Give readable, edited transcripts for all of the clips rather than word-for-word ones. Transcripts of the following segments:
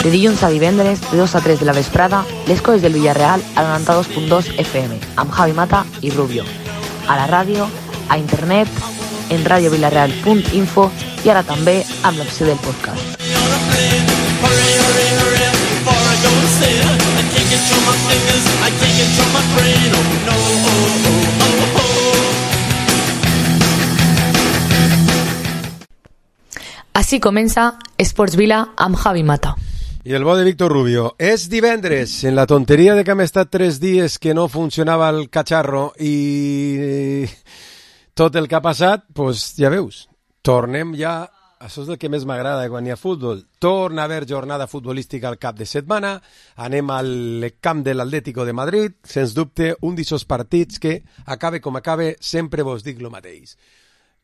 De dilluns a divendres, de 2 a 3 de la vesprada, les coses del Villarreal a 92.2 FM, amb Javi Mata i Rubio. A la ràdio, a internet, en radiovillarreal.info i ara també amb l'opció del podcast. Així comença Esports Vila amb Javi Mata. I el bo de Víctor Rubio. És divendres, en la tonteria de que hem estat 3 dies que no funcionava el catxarro i tot el que ha passat, doncs ja veus, tornem ja, això és el que més m'agrada quan hi ha futbol, torna a haver jornada futbolística al cap de setmana, anem al camp de l'Atlético de Madrid, sens dubte un d'aquests partits que, acabe com acabe, sempre vos dic el mateix.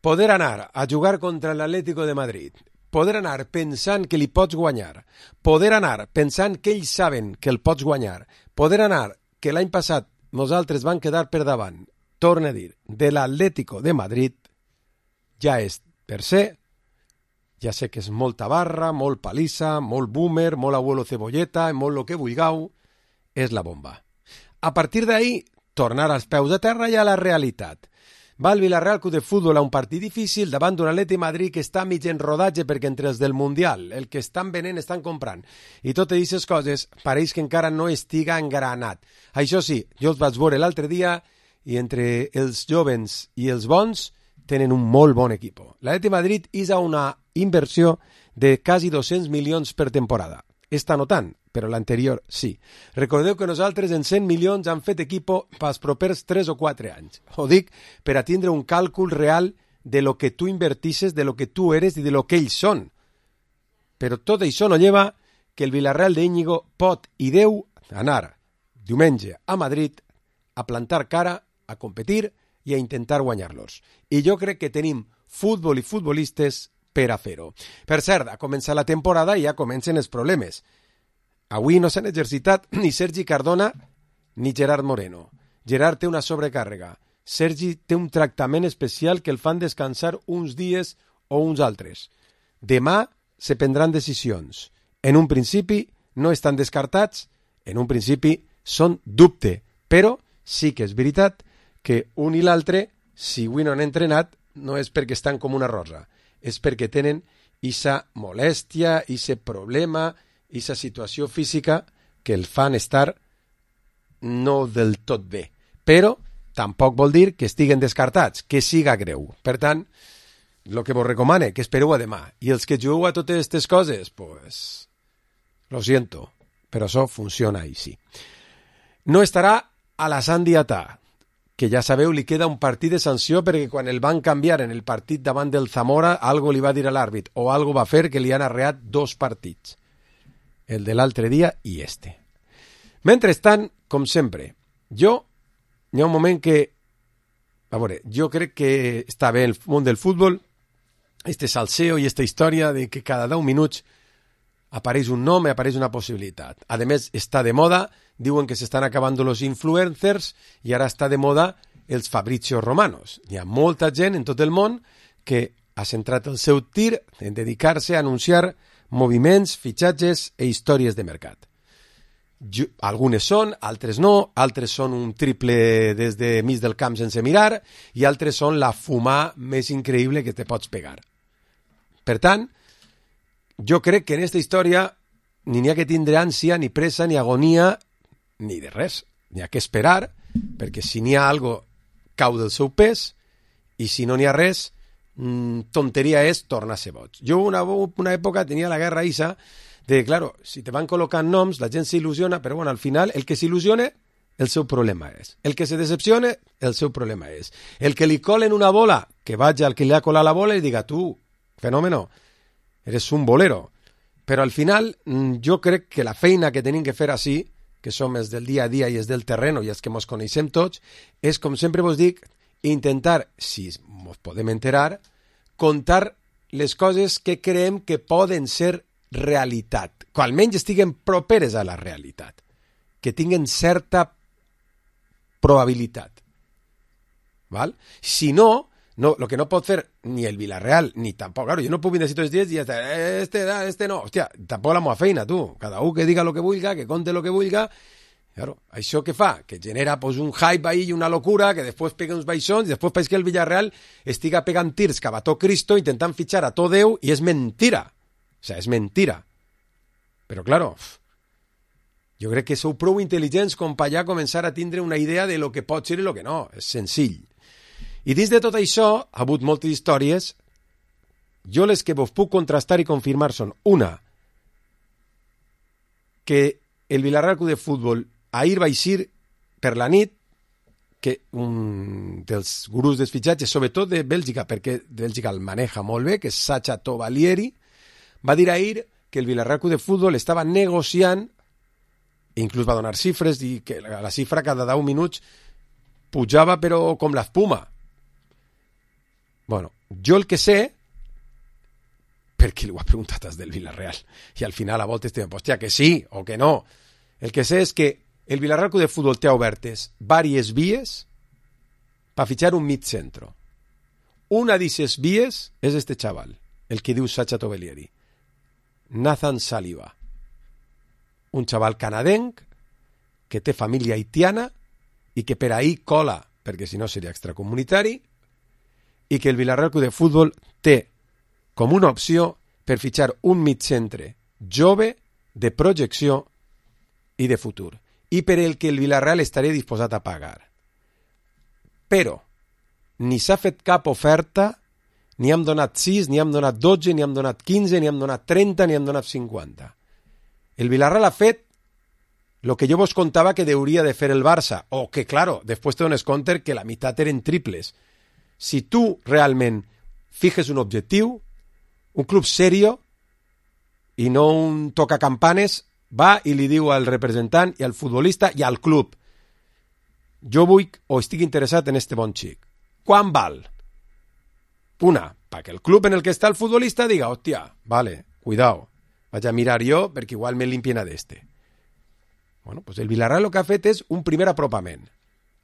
Poder anar a jugar contra l'Atlético de Madrid, poder anar pensant que li pots guanyar, poder anar pensant que ells saben que el pots guanyar, poder anar que l'any passat nosaltres van quedar per davant, torna a dir, de l'Atlético de Madrid, ja és per ser, ja sé que és molta barra, molt palissa, molt boomer, molt abuelo cebolleta, molt lo que vulgueu, és la bomba. A partir d'ahí, tornar als peus de terra i a la realitat. Va el Villarreal Club de Futbol a un partit difícil davant d'un Atleti Madrid que està mig en rodatge perquè entre els del Mundial, el que estan venent estan comprant. I totes aquestes coses pareix que encara no estiga engranat. Això sí, jo els vaig veure l'altre dia i entre els jovens i els bons tenen un molt bon equip. L'Atleti Madrid és a una inversió de quasi 200 milions per temporada. Esta no tant, però l'anterior sí. Recordeu que nosaltres en 100 milions hem fet equipo pels propers 3 o 4 anys. Ho dic per a tindre un càlcul real de lo que tu invertisses, de lo que tu eres i de lo que ells són. Però tot això no lleva que el Villarreal d'Íñigo pot i deu anar diumenge a Madrid a plantar cara, a competir i a intentar guanyar-los. I jo crec que tenim futbol i futbolistes per a fer-ho. Per cert, a començar la temporada i ja comencen els problemes. Avui no s'han exercitat ni Sergi Cardona ni Gerard Moreno. Gerard té una sobrecàrrega. Sergi té un tractament especial que el fan descansar uns dies o uns altres. Demà se prendran decisions. En un principi no estan descartats, en un principi són dubte, però sí que és veritat que un i l'altre, si avui no han entrenat, no és perquè estan com una rosa. És perquè tenen esa molèstia, ese problema, esa situació física que el fan estar no del tot bé. Però tampoc vol dir que estiguen descartats, que siga greu. Per tant, el que vos recomane, que espereu a demà. I els que jugueu a totes aquestes coses, pues, lo siento, però això funciona així. No estarà a la Sandiatà, que ja sabeu, li queda un partit de sanció perquè quan el van canviar en el partit davant del Zamora, algo li va dir a l'àrbit, o algo va fer que li han arreat 2 partits. El de l'altre dia i este. Mentrestant, com sempre, hi ha un moment que, a veure, jo crec que està bé el món del futbol, este salseo i esta història de que cada 10 minuts apareix un nom i apareix una possibilitat. A més, està de moda, diuen que s'estan acabant els influencers i ara està de moda els Fabrizio Romanos. Hi ha molta gent en tot el món que ha centrat el seu tir en dedicar-se a anunciar moviments, fitxatges i històries de mercat. Algunes són, altres no, altres són un triple des de mig del camp sense mirar i altres són la fumar més increïble que te pots pegar. Per tant, jo crec que en aquesta història ni n'hi ha que tindre ànsia, ni pressa, ni agonia, ni de res. N'hi ha que esperar, perquè si n'hi ha algo, cau del seu pes, i si no n'hi ha res, tonteria és tornar a ser boig. Jo una època tenia la guerra issa de, claro, si te van col·locant noms, la gent s'il·lusiona, però bueno, al final, el que s'il·lusione, el seu problema és. El que se decepcione, el seu problema és. El que li colen una bola, que vagi al que li ha colat la bola i diga, tu, fenómeno, eres un bolero. Però al final, jo crec que la feina que tenim que fer així, que som els del dia a dia i els del terreno i els que ens coneixem tots, és, com sempre vos dic, intentar, si ens podem enterar, contar les coses que creiem que poden ser realitat, que almenys estiguen properes a la realitat, que tinguen certa probabilitat. Val? Si no, No, lo que no pot fer ni el Villarreal, ni tampoc, claro, jo no puc vindre així tots els dies i ja està, este no, hòstia, tampoc la meva feina, tu, cada un que diga lo que vulga, que conte lo que vulga, claro, això què fa? Que genera pues, un hype ahí i una locura, que després pega uns baixons, i després pareix que el Villarreal estiga pegant tirs cap a tot Cristo, intentant fitxar a tot Déu, i és mentira, o sea, és mentira, però claro, jo crec que sou prou intel·ligents com per ja començar a tindre una idea de lo que pot ser i lo que no, és senzill. I dins de tot això, ha hagut moltes històries, jo les que vos puc contrastar i confirmar són, una, que el Villarreal Club de Futbol ahir va eixir per la nit, que un dels gurús dels fitxatges, sobretot de Bèlgica, perquè Bèlgica el maneja molt bé, que és Sacha Tovalieri, va dir ahir que el Villarreal Club de Futbol estava negociant, inclús va donar xifres, i que la xifra cada 10 minuts pujava però com l'espuma. Bueno, jo el que sé, perquè li ho ha preguntat des del Villarreal, i al final a voltes estem, hòstia, que sí o que no. El que sé és que el Villarreal Club de Futbol té obertes diverses vies per fitxar un mig centro. Una d'aquestes vies és este xaval, el que diu Sacha Tovalieri, Nathan Saliba. Un xaval canadenc que té família haitiana i que per ahir cola, perquè si no seria extracomunitari, i que el Villarreal Club de Futbol té com una opció per fitxar un mitcentre jove, de projecció i de futur, i per el que el Villarreal estaria disposat a pagar. Però ni s'ha fet cap oferta, ni hem donat 6, ni hem donat 12, ni hem donat 15, ni hem donat 30, ni hem donat 50. El Villarreal ha fet lo que jo vos contava que hauria de fer el Barça, o que, claro, després te dones compte que la meitat eren triples. Si tu realment fijes un objectiu, un club serio i no un tocacampanes, va i li diu al representant i al futbolista i al club: jo vull o estic interessat en este bon xic. Quan val? Una, perquè el club en el que està el futbolista diga, hòstia, vale, cuidao, vaig a mirar jo perquè igual me limpien a d'este. Bueno, pues el Villarreal el que ha fet és un primer apropament.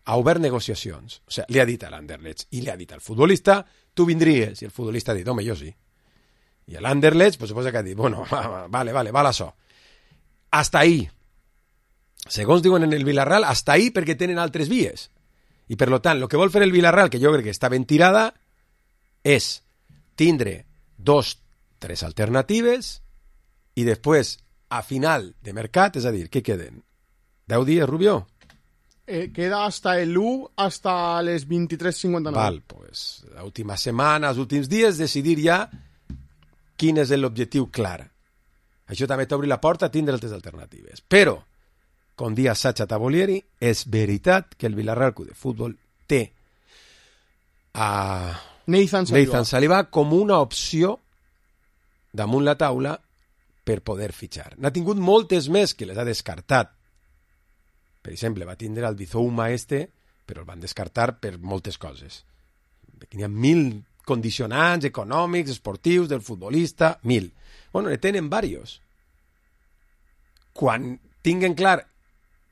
Ha obert negociacions. O sigui, li ha dit a l'Anderlecht i li ha dit al futbolista, tu vindries. I el futbolista ha dit, home, jo sí. I l'Anderlecht, pues suposa que ha dit, bueno, vale, val això. Hasta ahí. Segons diuen en el Villarreal, hasta ahí perquè tenen altres vies. I per tant, el que vol fer el Villarreal, que jo crec que està ben tirada, és tindre 2, 3 alternatives i després, a final de mercat, és a dir, què queden? 10 dies, Rubió? Queda hasta el 1 hasta les 23:59. Val, pues la última setmana, els últims dies, decidir ja quin és l'objectiu clar. Això també t'obri la porta a tindre altres alternatives. Però, com dia Sacha Tovalieri, és veritat que el Villarreal Club de Futbol té a Nathan Saliba com una opció damunt la taula per poder fitxar. N'ha tingut moltes més que les ha descartat. Per exemple, va tindre el Bizouma però el van descartar per moltes coses. N'hi ha 1.000 condicionants econòmics, esportius, del futbolista, 1.000. Bueno, ne tenen diversos. Quan tinguen clar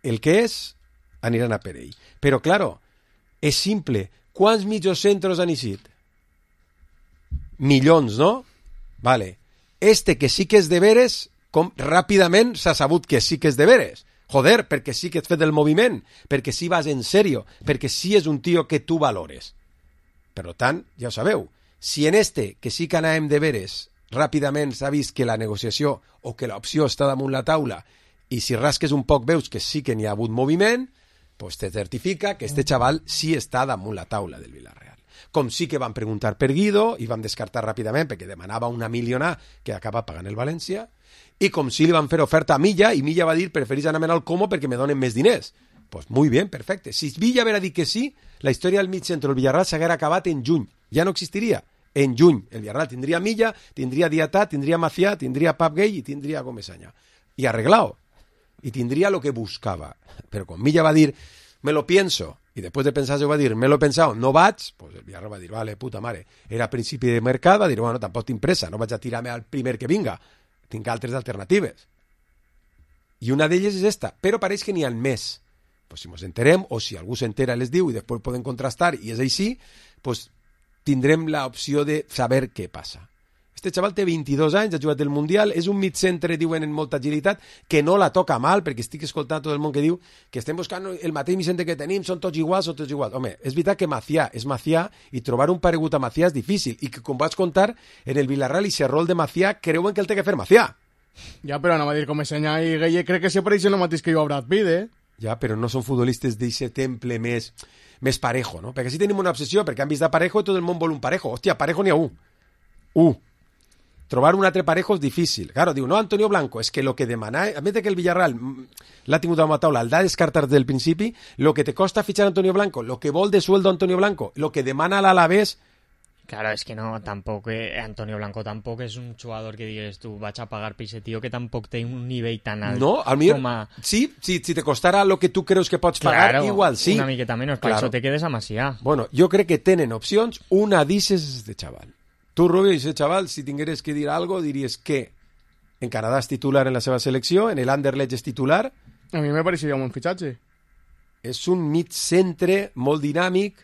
el que és, aniran a per ell. Però, claro, és simple. Quants mitjocentros han eixit? Milions, no? Vale. Que sí que és de veres, com ràpidament s'ha sabut que sí que és de veres. Joder, perquè sí que has fet el moviment, perquè sí vas en sèrio, perquè sí és un tio que tu valores. Per tant, ja ho sabeu, si en que sí que anàvem de veres, ràpidament s'ha vist que la negociació o que l'opció està damunt la taula i si rasques un poc veus que sí que n'hi ha hagut moviment, pues te certifica que este xaval sí està damunt la taula del Villarreal. Com sí que van preguntar per Guido i van descartar ràpidament perquè demanava una milionà que acaba pagant el València, i com sí li van fer oferta a Milla, i Milla va dir preferís anar-me'n al Como perquè me donen més diners. Pues muy bien, perfecte. Si Villa haguera dit que sí, la història del mig centre del Villarreal s'haguera acabat en juny. Ja no existiria. En juny. El Villarreal tindria Milla, tindria Diatà, tindria Macià, tindria Pap Gay i tindria Comesaña. I arreglado. I tindria lo que buscava. Però quan Milla va dir, me lo pienso, i després de pensar-se va dir, me lo he pensado, no vaig, pues el Villarreal va dir, vale, puta mare. Era a principi de mercat, va dir, bueno, tampoc tinc pressa, no vaig a tirar-me al primer que vinga. Tinc altres alternatives. I una d'elles és esta, però pareix que n'hi ha més. Pues si ens enterem, o si algú s'entera les diu i després poden contrastar i és així, pues tindrem l'opció de saber què passa. Este xaval té 22 anys, ha jugat el Mundial, és un mid-centre, diuen, en molta agilitat, que no la toca mal, perquè estic escoltant tot el món que diu que estem buscant el mateix mid-centre que tenim, són tots iguals. Home, és veritat que Macià és Macià i trobar un paregut a Macià és difícil, i que, com vaig contar, en el Villarreal i el rol de Macià creuen que el té que fer Macià. Ja, però anem a dir com Senya i Gueye crec que se pareixen el mateix que jo a Brad Pitt, eh? Ja, però no són futbolistes d'aquest temple més parejo, no? Perquè sí tenim una obsessió, perquè han vist de Parejo i tot el món vol un Parejo. Hòstia, Parejo n'hi ha un. Trobar un altre Parejo és difícil. Claro, diu, no, Antonio Blanco, és que lo que demana, a més de que el Villarreal l'ha tingut a la taula, el d'ha descartat des del principi, lo que te costa fichar Antonio Blanco, lo que vol de sueldo Antonio Blanco, lo que demana l'Alavés. Claro, es que no, tampoco, Antonio Blanco tampoco es un jugador que digas tú, vas a pagar por ese tío que tampoco tiene un nivel tan alto. No, al millor, sí, si te costara lo que tu creus que pots pagar, claro, igual sí. Una miqueta menos, claro. Per això te quedes a Macià. Bueno, jo crec que tenen opcions, una d'ixes de xaval. Tu, Rubio, ese chaval, si tingueres que dir algo, diries que en Canadà és titular en la seva selecció, en el Anderlecht és titular. A mi me pareixeria un bon fitxatge. És un mig centre molt dinàmic.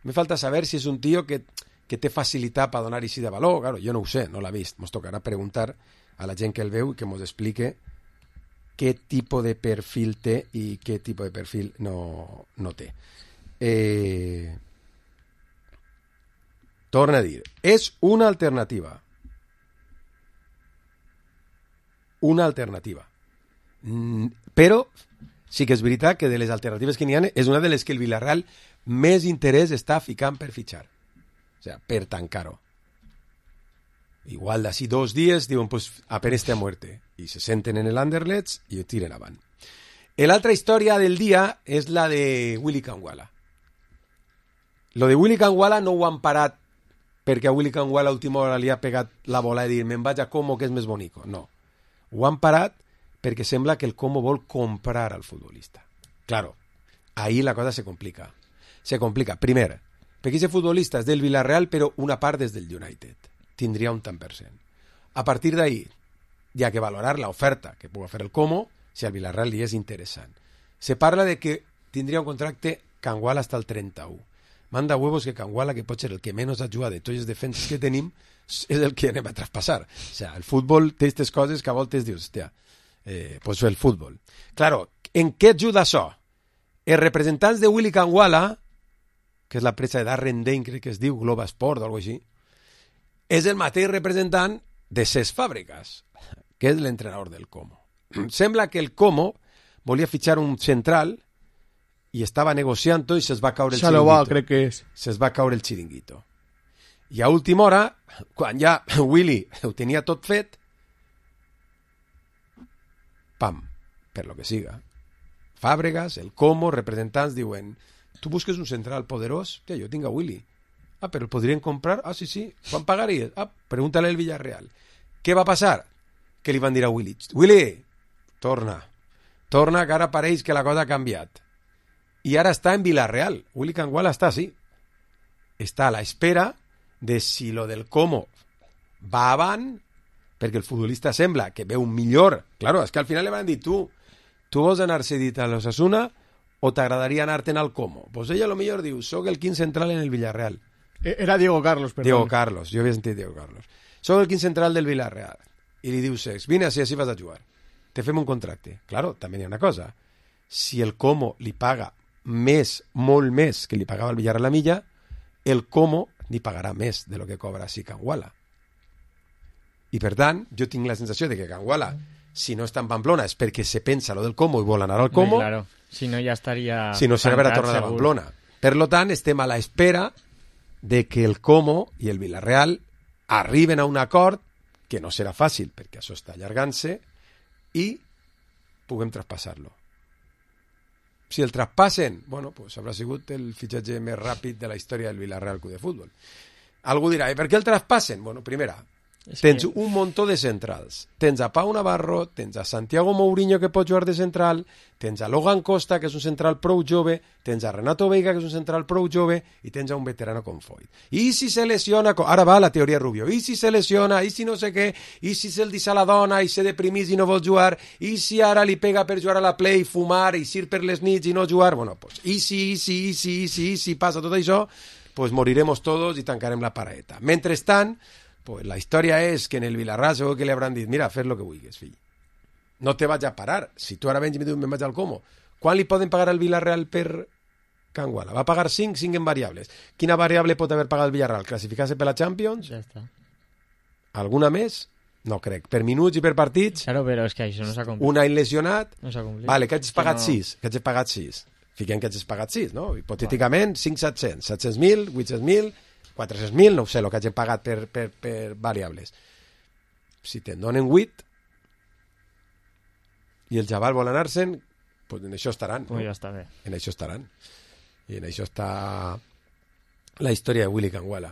Me falta saber si és un tio que té facilitat per donar així de valor. Claro, jo no ho sé, no l'ha vist. Ens tocarà preguntar a la gent que el veu i que ens explique què tipus de perfil té i què tipus de perfil no té. Torna a dir, és una alternativa. Una alternativa. Però sí que és veritat que de les alternatives que n'hi ha és una de les que el Villarreal més interès està ficant per fitxar. O sea, per tancar-ho. Igual d'ací 2 dies diuen, pues apenas esté a muerte. I se senten en el Anderlecht i ho tiren avant. L'altra història del dia és la de Willy Kangwala. Lo de Willy Kangwala no ho han parat perquè a Willy Kangwala a última hora li ha pegat la bola i dir, me'n vaig a Como, que és més bonico. No. Ho han parat perquè sembla que el Como vol comprar al futbolista. Claro, ahí la cosa se complica. Se complica. Primer, perquè aquest futbolista és del Villarreal, però una part és del United. Tindria un tant per cent. A partir d'ahí, hi ha que valorar l'oferta que pugui fer el Como si al Villarreal li és interessant. Se parla de que tindria un contracte Kangwala hasta el 31. Manda huevos que Kangwala, que pot ser el que menys ajuda de tots els defenses que tenim, és el que anem a traspassar. O sea, el futbol té aquestes coses que a voltes dius, hòstia, pues el futbol. Claro, en què ajuda això? Els representants de Willy Kangwala, que és la presa de Darren Dane, crec que es diu Globa Sport o alguna cosa així, és el mateix representant de Cesc Fàbregas, que és l'entrenador del Como. Sembla que el Como volia fitxar un central i estava negociant i se'ls va caure el xiringuito. Crec que és. Se'ls va caure el xiringuito. I a última hora, quan ja Willy ho tenia tot fet, pam, per lo que siga. Fàbregas, el Como, representants diuen, tu busques un central poderós? Ja, jo tinc a Willy. Ah, però el podrien comprar? Ah, sí, sí. Quan pagaries? Ah, pregúntale al Villarreal. Què va passar? Que li van dir a Willy, Willy, torna, que ara pareix que la cosa ha canviat. I ara està en Villarreal. Willy Kangwala està així. Està a l'espera de si lo del Como va avant, perquè el futbolista sembla que veu millor. Claro, és que al final li van dir, tu vols anar cedit a l'Osasuna o t'agradaria anar-te'n al Como? Pues ella a lo millor diu, soc el quin central en el Villarreal. Era Diego Carlos, perdó. Diego Carlos, jo havia sentit Diego Carlos. Soc el quin central del Villarreal. I li diu Cesc, vine així vas a jugar. Te fem un contracte. Claro, també hi ha una cosa. Si el Como li paga més, molt més que li pagava el Villarreal a la milla, el Como ni pagarà més de lo que cobra si Kangwala. I per tant, jo tinc la sensació de que Kangwala, si no està en Pamplona, és perquè se pensa lo del Como i vol anar al Como. Claro, si no ja estaria... Si no se n'haurà tornat a Pamplona. Per lo tant, estem a l'espera de que el Como i el Villarreal arriben a un acord, que no serà fàcil, perquè això està allargant-se, i puguem traspassar-lo. Si el traspassen, bueno, pues haurà sigut el fitxatge més ràpid de la història del Villarreal Club de Futbol. Algú dirà, i per què el traspassen? Bueno, primera, tens un muntó de centrals. Tens a Pau Navarro, tens a Santiago Mourinho, que pot jugar de central, tens a Logan Costa, que és un central prou jove, tens a Renato Veiga, que és un central prou jove, i tens a un veterano com Foyt. I si se lesiona... Ara va la teoria Rubio. I si se lesiona, i si no sé què, i si se'l deixa a la dona i se deprimís i no vol jugar, i si ara li pega per jugar a la play, fumar i sir per les nits i no jugar... Bueno, pues, i si passa tot això, pues moriremos todos i tancarem la paraeta. Mentrestant, pues la història és que en el Villarreal segur que li hauran dit, mira, fes lo que vulguis, fill. No te vaig a parar. Si tu ara vens i me dius, me'n vaig al Como. Quan li poden pagar al Villarreal per Can Guala? Va pagar 5 en variables. Quina variable pot haver pagat el Villarreal? Classificar-se per la Champions? Ja està. Alguna més? No crec. Per minuts i per partits? Claro, però és que això no s'ha complit. Un any lesionat? No s'ha complit. Vale, que hagis pagat no... 6. Que hagis pagat 6. Fiquem que hagis pagat 6, no? Hipotèticament, 5, 700. 700.000, 800.000, 400.000, no ho sé, el que hagin pagat per variables. Si te'n donen 8 i el xaval vol anar-se'n, pues en això estaran. Pues no? ja està bé. En això estaran. I en això està la història de Willy Canguala.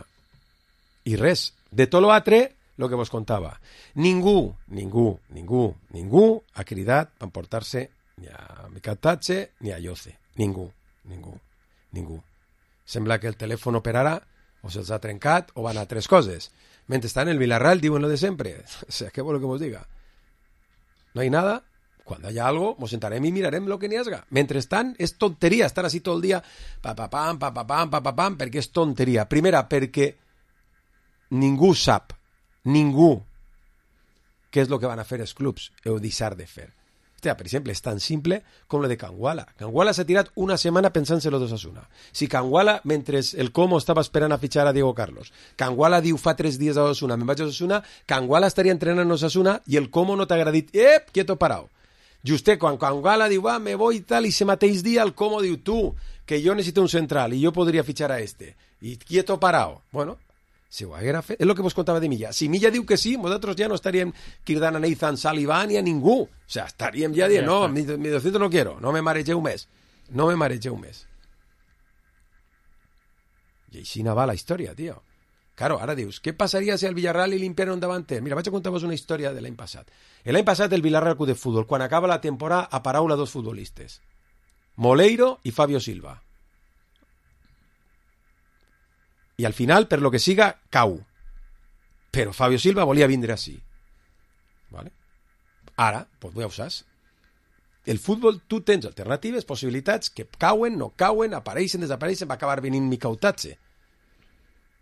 I res, de tot l'altre, el que vos contava. Ningú ha cridat per emportar-se ni a Miquel Tatxe ni a Yoce. Ningú. Sembla que el telèfon operarà o se'ls ha trencat o van a tres coses. Mentrestant, el Villarreal diuen lo de sempre. O sea, ¿qué vuelvo que vos diga? No hay nada. Cuando haya algo, nos sentarem y mirarem lo que n'hi hagi. Mentrestant, és tonteria estar així tot el dia, pa-pa-pam, perquè és tonteria. Primera, perquè ningú sap, què és el que van a fer els clubs o deixar de fer. Hòstia, per exemple, és tan simple com lo de Canguala. Canguala s'ha tirat una setmana pensant-se-lo d'Osasuna. Si Canguala, mentre el Como estava esperant a fitxar a Diego Carlos, Canguala diu fa 3 dies a Osasuna, me'n vaig a Osasuna, Canguala estaria entrenant a Osasuna i el Como no t'ha dit, quieto parao. Justet, quan Canguala diu, me voy i tal, i ese mateix dia el Como diu, tu, que jo necessito un central i jo podria fitxar a este. I quieto parao. Bueno, si ho haguera fet... És el que vos contava de Milla. Si Milla diu que sí, nosaltres ja no estaríem cridant a Nathan Sullivan ni a ningú. O sea, estaríem ja dient, no, mi 200 no quiero, no me maregeu més. I així va la història, tio. Claro, ara dius, què passaria si al Villarreal li limpiaran un davanter? Mira, vaig a contar-vos una història de l'any passat. L'any passat el Villarreal Club de Futbol, quan acaba la temporada, a paraula 2 futbolistes. Moleiro i Fabio Silva. I al final, per lo que siga, cau. Però Fabio Silva volia vindre així. ¿Vale? Ara, pues ja ho saps. El futbol, tu tens alternatives, possibilitats que cauen, no cauen, apareixen, desapareixen, va acabar venint Miquel Tatxe.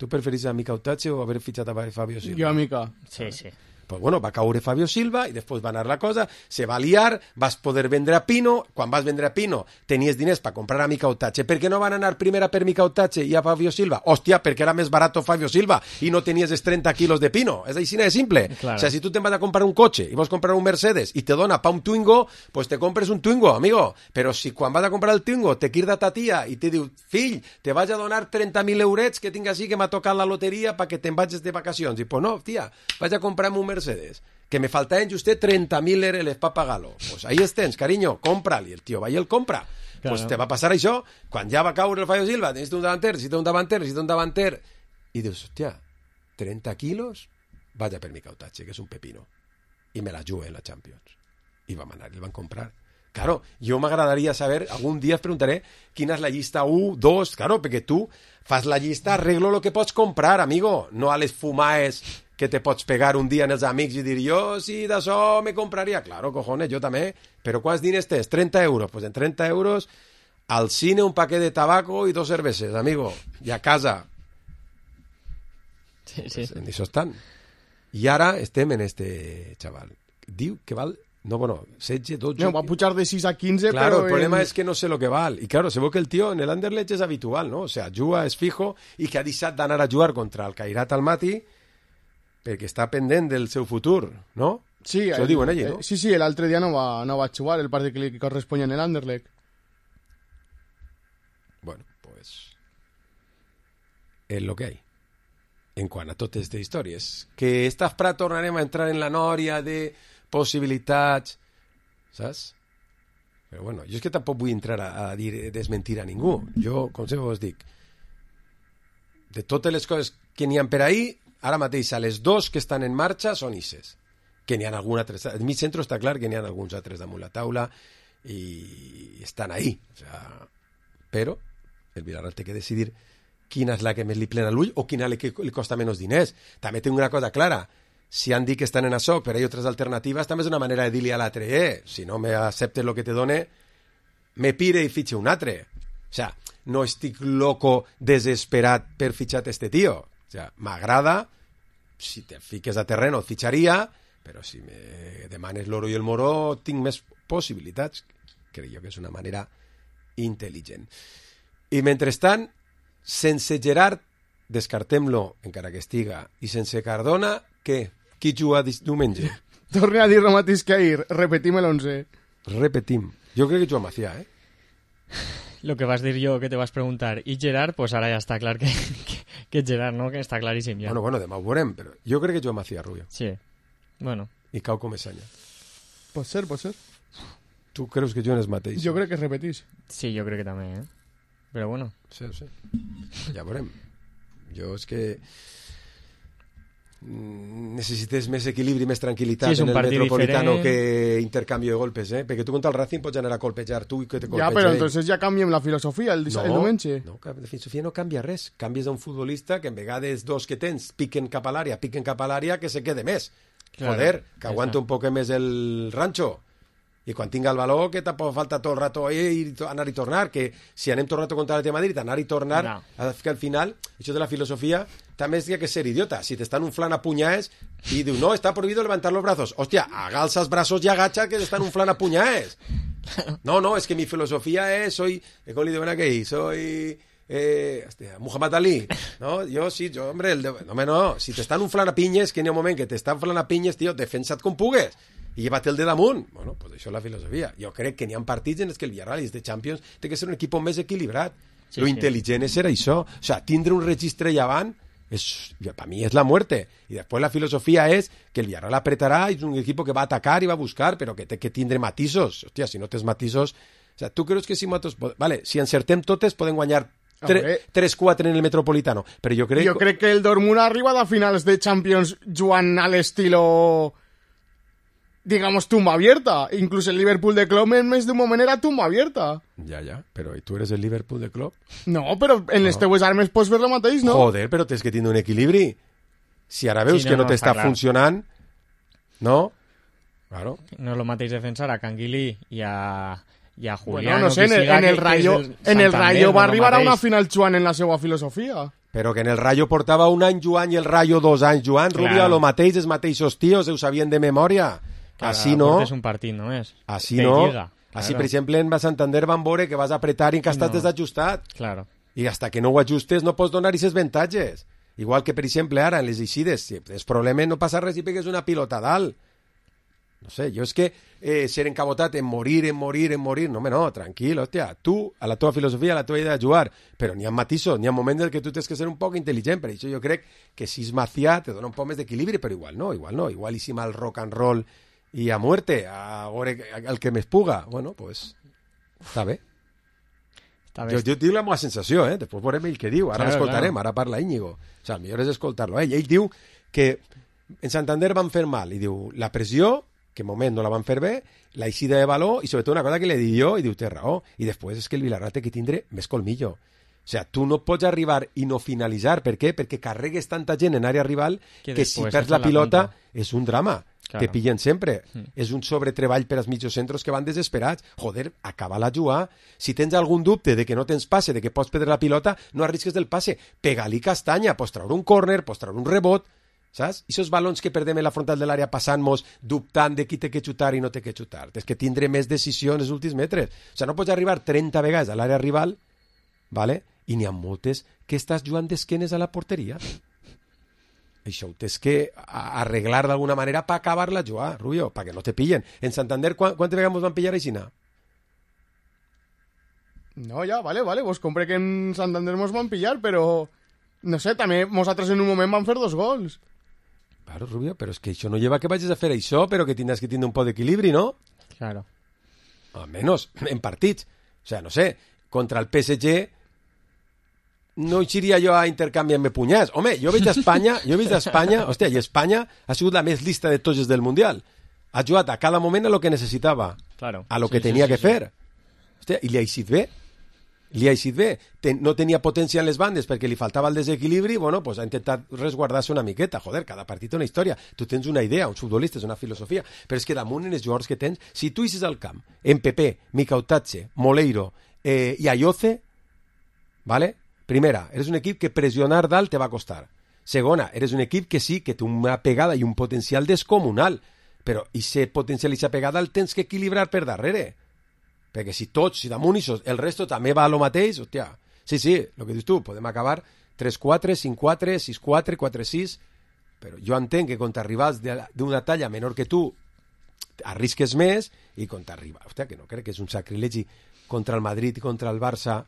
Tu preferís a Miquel Tatxe o haver fitxat a Fabio Silva? Jo a Mica. Sí, sí. Pues bueno, va caure Fabio Silva i després va anar la cosa, se va liar, vas poder vendre a Pino, quan vas vendre a Pino tenies diners per comprar a Miquel Tatxe. Per què no van anar primera per Miquel Tatxe i a Fabio Silva? Hòstia, perquè era més barat Fabio Silva i no tenies els 30 quilos de Pino. És així de simple. Claro. O sea, si tu te'n vas a comprar un cotxe i vols comprar un Mercedes i te dona pa un Twingo, pues te compres un Twingo, amigo. Però si quan vas a comprar el Twingo te quirda ta tia i te diu, fill, te vaig a donar 30.000 eurets que tinc així que m'ha tocat la loteria perquè te'n vagis de vacacions. I pues no, tia, vaig a comprarme un Mercedes. Que me faltaven justet 30.000 euros per pagar-lo. Pues ahí estens, cariño, cómpralo. I el tio va i el compra. Claro. Pues te va passar això. Quan ja va caure el Fabio Silva, necessito un davanter. I dius, hòstia, 30 quilos? Vaja per Miquel Tatxe, que és un pepino. I me la jugué en la Champions. I vam anar, i el van comprar. Claro, jo m'agradaria saber, algun dia es preguntaré quina és la llista 1, 2, claro, perquè tu fas la llista, arreglo lo que pots comprar, amigo, no a les fumaes que te pots pegar un dia en els amics i dir, jo sí, d'això me compraria. Claro, cojones, jo també. Però quants diners tens? 30 euros. Pues en 30 euros al cine un paquet de tabaco i 2 cerveses, amigo. I a casa. Sí. Pues en això estan. I ara estem en este xaval. Diu que val... No, bueno, 16, 12... No, va pujar de 6 a 15, claro, però... el problema es que no sé lo que val. Y claro, se ve que el tío en el Anderlecht es habitual, ¿no? O sea, juga és fijo i que ha deixat d'anar a jugar contra el Cairat Almaty perquè està pendent del seu futur, no? Sí, això diuen allí, no? Sí, l'altre dia no va jugar el partit que li corresponia en el Anderlecht. Bueno, pues... és lo que hay. En quant a totes aquestes històries. Que esta fra tornarem a entrar en la nòria de possibilitats, saps? Però bueno, jo és que tampoc vull entrar a dir desmentir a ningú. Jo, com sempre us dic, de totes les coses que n'hi ha per ahí, ara mateix a les 2 que estan en marxa són ISES. Que n'hi ha algun altre... En mi centre està clar que n'hi ha alguns altres damunt la taula i estan ahí. O sea, però el Villarreal té que decidir quina és la que més li plena l'ull o quina li costa menys diners. També tinc una cosa clara. Si han dit que estan en això, però hi ha altres alternatives, també és una manera de dir-li a l'altre, si no me acceptes el que te done, me pire i fitxe un altre. O sea, no estic loco desesperat per fitxar este tio. O sea, m'agrada, si te fiques a terreno el fitxaria, però si me demanes l'oro i el moro tinc més possibilitats. Crec jo que és una manera intel·ligent. I mentrestant, sense Gerard, descartem-lo, encara que estiga, i sense Cardona, què? Qui juga diumenge? Torne a dir el mateix que ahir, repetim l'11. Repetim. Jo crec que juga Macià, eh? Lo que vas dir jo, que te vas preguntar, i Gerard, pues ara ja està clar que Gerard, no? Que està claríssim ja. Bueno, demà ho veurem, però jo crec que juga Macià, Rubio. Sí, bueno. I cau Comesaña. Pot ser. Tu creus que juguen els mateixos? Jo crec que es repetís. Sí, jo crec que també, eh? Però bueno. Sí. Ja veurem. Jo és que necessites més equilibri, més tranquil·litat en el Metropolitano diferent. que intercanvi de golpes, eh? Perquè tu contra el Racing pots anar a colpejar tu i que te colpeja Ja, però ell. entonces ja canviem la filosofia el diumenge. No, la filosofia no canvia res. Canvies a un futbolista que en vegades dos que tens piquen cap a l'àrea, que se quede més. Claro, Joder, que aguanta un poc més el rancho. I quan tinga el valor, que tampoc falta tot el rato anar i tornar, que si anem tot el rato contra el Madrid, anar i tornar, No. que al final, això de la filosofia, també és que ser idiota. Si t'estan unflant a puñaes i diu, no, está prohibido levantar los brazos. Hòstia, agalza els braços i agacha que t'estan unflant a puñaes. No, es que mi filosofía es, ¿cómo le digo aquell? Soy... Muhammad Ali, no? Jo, hombre, no, si t'estan unflant a pinyes, que n'hi ha un moment que t'estan unflant a pinyes, tio, defensa't com pugues i lleva't el de damunt. Bueno, pues això és la filosofia. Jo crec que n'hi ha partits en els que el Villarreal és de Champions, té que ser un equip més equilibrat. Lo intel·ligent és ser això. O sea, tindre un registre llevant para mí es la muerte. Y después la filosofía es que el Villarreal apretará y es un equipo que va a atacar y va a buscar, pero que tindre matisos. Hòstia, si no tens matisos... O sea, tu creus que si matos... Vale, si encertem totes podem guanyar 3-4 en el Metropolitano, però jo crec que el Dortmund arriba a finals de Champions jugant a l'estilo, digamos, tumba abierta. Incluso el Liverpool de Klopp en més d'un moment era tumba abierta. Ja, però i tu eres el Liverpool de Klopp? No, però en les teues armes pots fer el mateix, no? Joder, però tens que tindre un equilibri. Si ara veus que no t'està funcionant, no? Claro. No és el mateix defensar a Canguilí i a Julián. Bueno, no sé, en el Rayo va arribar a una final jugant en la seva filosofia. Però que en el Rayo portava un any jugant i el Rayo 2 anys jugant, Rubio, lo mateix, els mateixos tios, ho sabien de memòria. Així no. És un partit només. Així no. Així, per exemple, en Santander van veure que vas apretar i que estàs desajustat. Claro. I hasta que no ho ajustes no pots donar aquestes avantatges. Igual que, per exemple, ara, en les eixides, si tens problemes, no passa res si pegues una pilota a dalt. No sé, jo és que ser encabotat en morir, no, tranquil, hòstia, tu, a la teva filosofia, a la teva idea de jugar, però n'hi ha matisos, n'hi ha moments en què tu tens que ser un poc intel·ligent, per això jo crec que si és Macià te dona un poc més d'equilibri, però igual no, igual i si mal rock and roll i a muerte, a veure el que més puga, bueno, pues, està bé. Jo dic la meva sensació, després veurem ell què diu, ara l'escoltarem, ara parla Íñigo, o sigui, el millor és escoltar-lo, ell diu que en Santander van fer mal, i diu, la pressió que en moment no la van fer bé, la eixida de valor i sobretot una cosa que li dic jo i diu té raó, i després és que el Villarreal té que tindre més colmillo. O sigui, tu no pots arribar i no finalitzar, per què? Perquè carregues tanta gent en àrea rival que si perds la pilota és un drama. Claro. Te pillen sempre. És un sobretreball per als mitjos centros que van desesperats. Joder, acaba-la jugar. Si tens algun dubte de que no tens passe, de que pots perdre la pilota, no arrisques del passe. Pega-li castanya, pots treure un córner, pots treure un rebot, saps? I esos balons que perdem en la frontal de l'àrea passant-nos dubtant de qui té que xutar i no té que xutar. Tens que tindre més decisió en els últims metres. O sigui, no pots arribar 30 vegades a l'àrea rival, ¿vale? I n'hi ha moltes que estàs jugant d'esquenes a la porteria. Això ho tens que arreglar d'alguna manera per acabar-la jugar, Rubio, perquè no te pillen. En Santander, quantes vegades ens van pillar aixina? No, ja, vale, vos compré que en Santander mos van pillar, però no sé, també nosaltres en un moment van fer 2 gols. Claro, Rubio, però és que això no lleva que vagis a fer això, però que tindràs que tindre un poc d'equilibri, no? Claro. Almenys en partits. O sea, no sé, contra el PSG no iria jo a intercanviar-me punyats. Home, jo veig d'Espanya, hòstia, i Espanya ha sigut la més lista de tots els del Mundial. Ha jugat a cada moment a lo que necessitava, claro. a lo que tenia que fer. Hòstia, i li ha eixit bé. No tenia potència en les bandes perquè li faltava el desequilibri, bueno, pues ha intentat resguardar-se una miqueta. Joder, cada partit una història. Tu tens una idea, uns futbolistes, una filosofia, però és que damunt en els jugadors que tens, si tu eixes al camp, en Pepe, Micautazze, Moleiro i Ayoce, ¿vale? Primera, eres un equip que pressionar dalt te va a costar. Segona, eres un equip que sí, que té una pegada i un potencial descomunal, però i potencial i esa pegada el tens que equilibrar per darrere. Perquè si tots, si damunt i el resto també va a lo mateix, hòstia, sí, el que dius tu, podem acabar 3-4, 5-4, 6-4, 4-6, però jo entenc que quan t'arribes d'una talla menor que tu, arrisques més, i quan t'arriba, hòstia, que no crec que és un sacrilegi contra el Madrid i contra el Barça,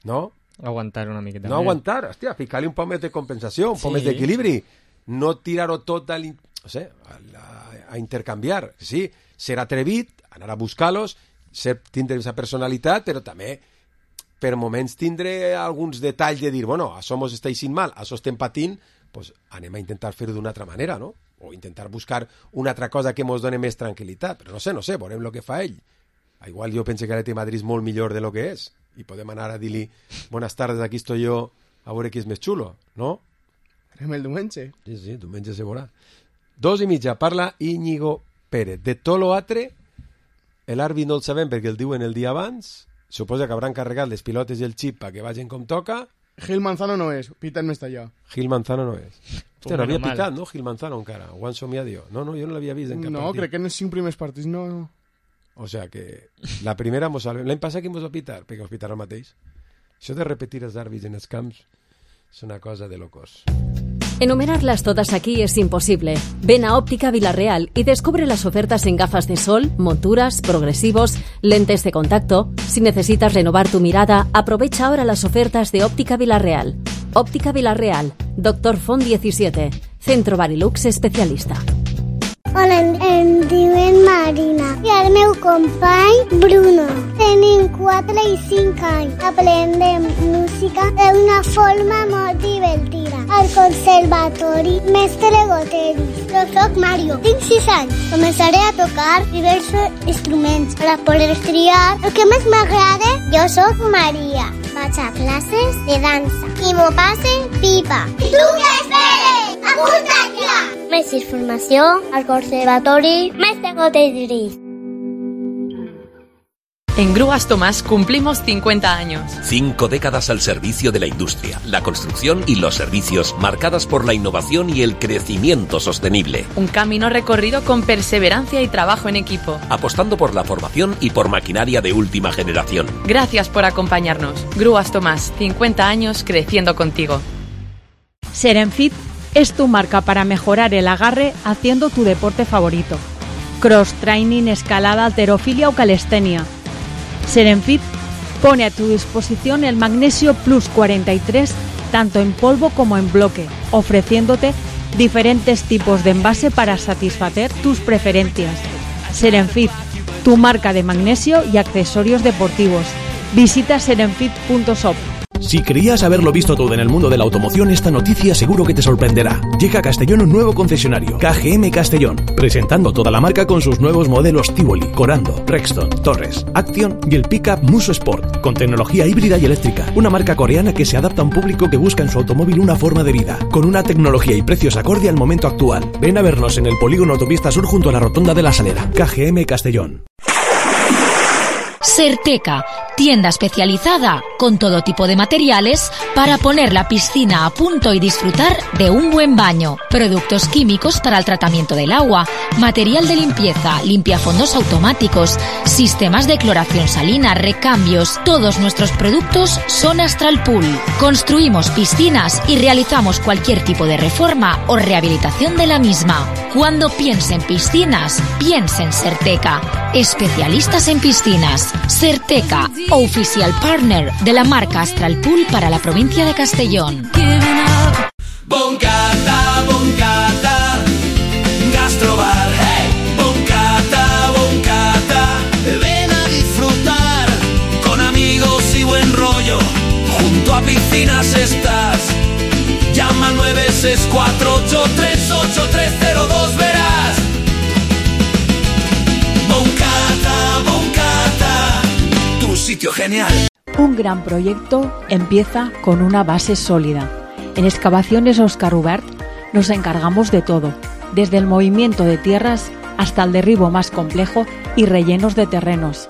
no? Aguantar una miqueta. No aguantar, hòstia, ficar-li un poc més de compensació, un poc més d'equilibri, no tirar-ho tot a intercanviar. Sí, ser atrevit, anar a buscar-los, tindre aquesta personalitat, però també per moments tindre alguns detalls de dir, bueno, això mos està eixint mal, això estem patint, pues anem a intentar fer-ho d'una altra manera, no? O intentar buscar una altra cosa que mos doni més tranquil·litat. Però no sé, veurem el que fa ell. Igual jo penso que l'Atleti Madrid és molt millor de lo que és i podem anar a dir-li buenas tardes, aquí estoy yo, a veure qui és més xulo, no? Farem el diumenge. Sí, diumenge se veurà. 2:30, parla Íñigo Pérez. De tot l'altre, l'àrbit no el sabem perquè el diuen el dia abans, suposa que hauran carregat les pilotes i el xip perquè vagin com toca. Gil Manzano no és, Peter me està allà. Gil Manzano no és. Hòstia, no havia picat, no, Gil Manzano encara. Ho han somiat jo. No, jo no l'havia vist en cap partit. No, crec que en els 5 primers partits no. O sea que la primera mos salve. L'any passat que mos va pitar, perquè mos pitarà el mateix. Això de repetir els àrbits en els camps és una cosa de locos. Enumerarlas todas aquí es imposible. Ven a Óptica Villarreal y descubre las ofertas en gafas de sol, monturas, progresivos, lentes de contacto. Si necesitas renovar tu mirada, aprovecha ahora las ofertas de Óptica Villarreal. Óptica Villarreal, Dr. Font 17, Centro Barilux especialista. Hola, em diuen Marina i el meu company Bruno. Tenim 4 i 5 anys. Aprendem música d'una forma molt divertida. Al conservatori Mestre Goteris. Jo soc Mario, tinc 6 anys. Començaré a tocar diversos instruments per a poder triar el que més m'agrada. Jo soc Maria. Vaig a classes de dansa i m'ho passe pipa. I tu què esperes? Apunta't ja! Més informació al Conservatori Mestre Goteris. En Grúas Tomás cumplimos 50 años. 5 décadas al servicio de la industria, la construcción y los servicios, marcadas por la innovación y el crecimiento sostenible. Un camino recorrido con perseverancia y trabajo en equipo. Apostando por la formación y por maquinaria de última generación. Gracias por acompañarnos. Grúas Tomás, 50 años creciendo contigo. Serenfit es tu marca para mejorar el agarre haciendo tu deporte favorito. Cross training, escalada, halterofilia o calistenia. Serenfit pone a tu disposición el Magnesio Plus 43 tanto en polvo como en bloque, ofreciéndote diferentes tipos de envase para satisfacer tus preferencias. Serenfit, tu marca de magnesio y accesorios deportivos. Visita serenfit.shop. Si creías haberlo visto todo en el mundo de la automoción, esta noticia seguro que te sorprenderá. Llega a Castellón un nuevo concesionario, KGM Castellón, presentando toda la marca con sus nuevos modelos Tivoli, Corando, Rexton, Torres, Action y el pickup Muso Sport, con tecnología híbrida y eléctrica. Una marca coreana que se adapta a un público que busca en su automóvil una forma de vida, con una tecnología y precios acorde al momento actual. Ven a vernos en el polígono Autopista Sur junto a la Rotonda de la Salera. KGM Castellón. Certeca, tienda especializada con todo tipo de materiales para poner la piscina a punto y disfrutar de un buen baño. Productos químicos para el tratamiento del agua, material de limpieza, limpiafondos automáticos, sistemas de cloración salina, recambios. Todos nuestros productos son Astral Pool. Construimos piscinas y realizamos cualquier tipo de reforma o rehabilitación de la misma. Cuando piense en piscinas, piense en Certeca. Especialistas en piscinas. Certeca, oficial partner de la marca Astral Pool para la provincia de Castellón. Boncata, boncata, gastrobar, hey. Boncata, boncata, ven a disfrutar con amigos y buen rollo. Junto a piscinas estás. Llama al 964838302, verás. Boncata, boncata, tu sitio genial. Un gran proyecto empieza con una base sólida. En Excavaciones Óscar Hubert nos encargamos de todo, desde el movimiento de tierras hasta el derribo más complejo y rellenos de terrenos.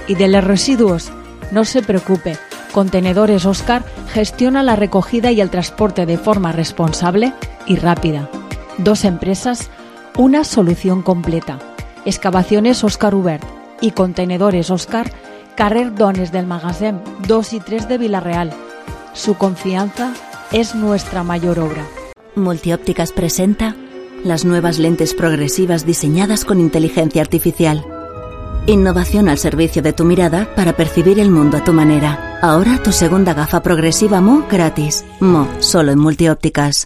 Y de los residuos, no se preocupe, Contenedores Oscar gestiona la recogida y el transporte de forma responsable y rápida. 2 empresas, una solución completa. Excavaciones Oscar Hubert y Contenedores Oscar, carrer Dones del Magasin 2 y 3 de Vila-real. Su confianza es nuestra mayor obra. Multiópticas presenta las nuevas lentes progresivas diseñadas con inteligencia artificial. Innovación al servicio de tu mirada para percibir el mundo a tu manera. Ahora tu segunda gafa progresiva Mo gratis. Mo, solo en Multiòptiques.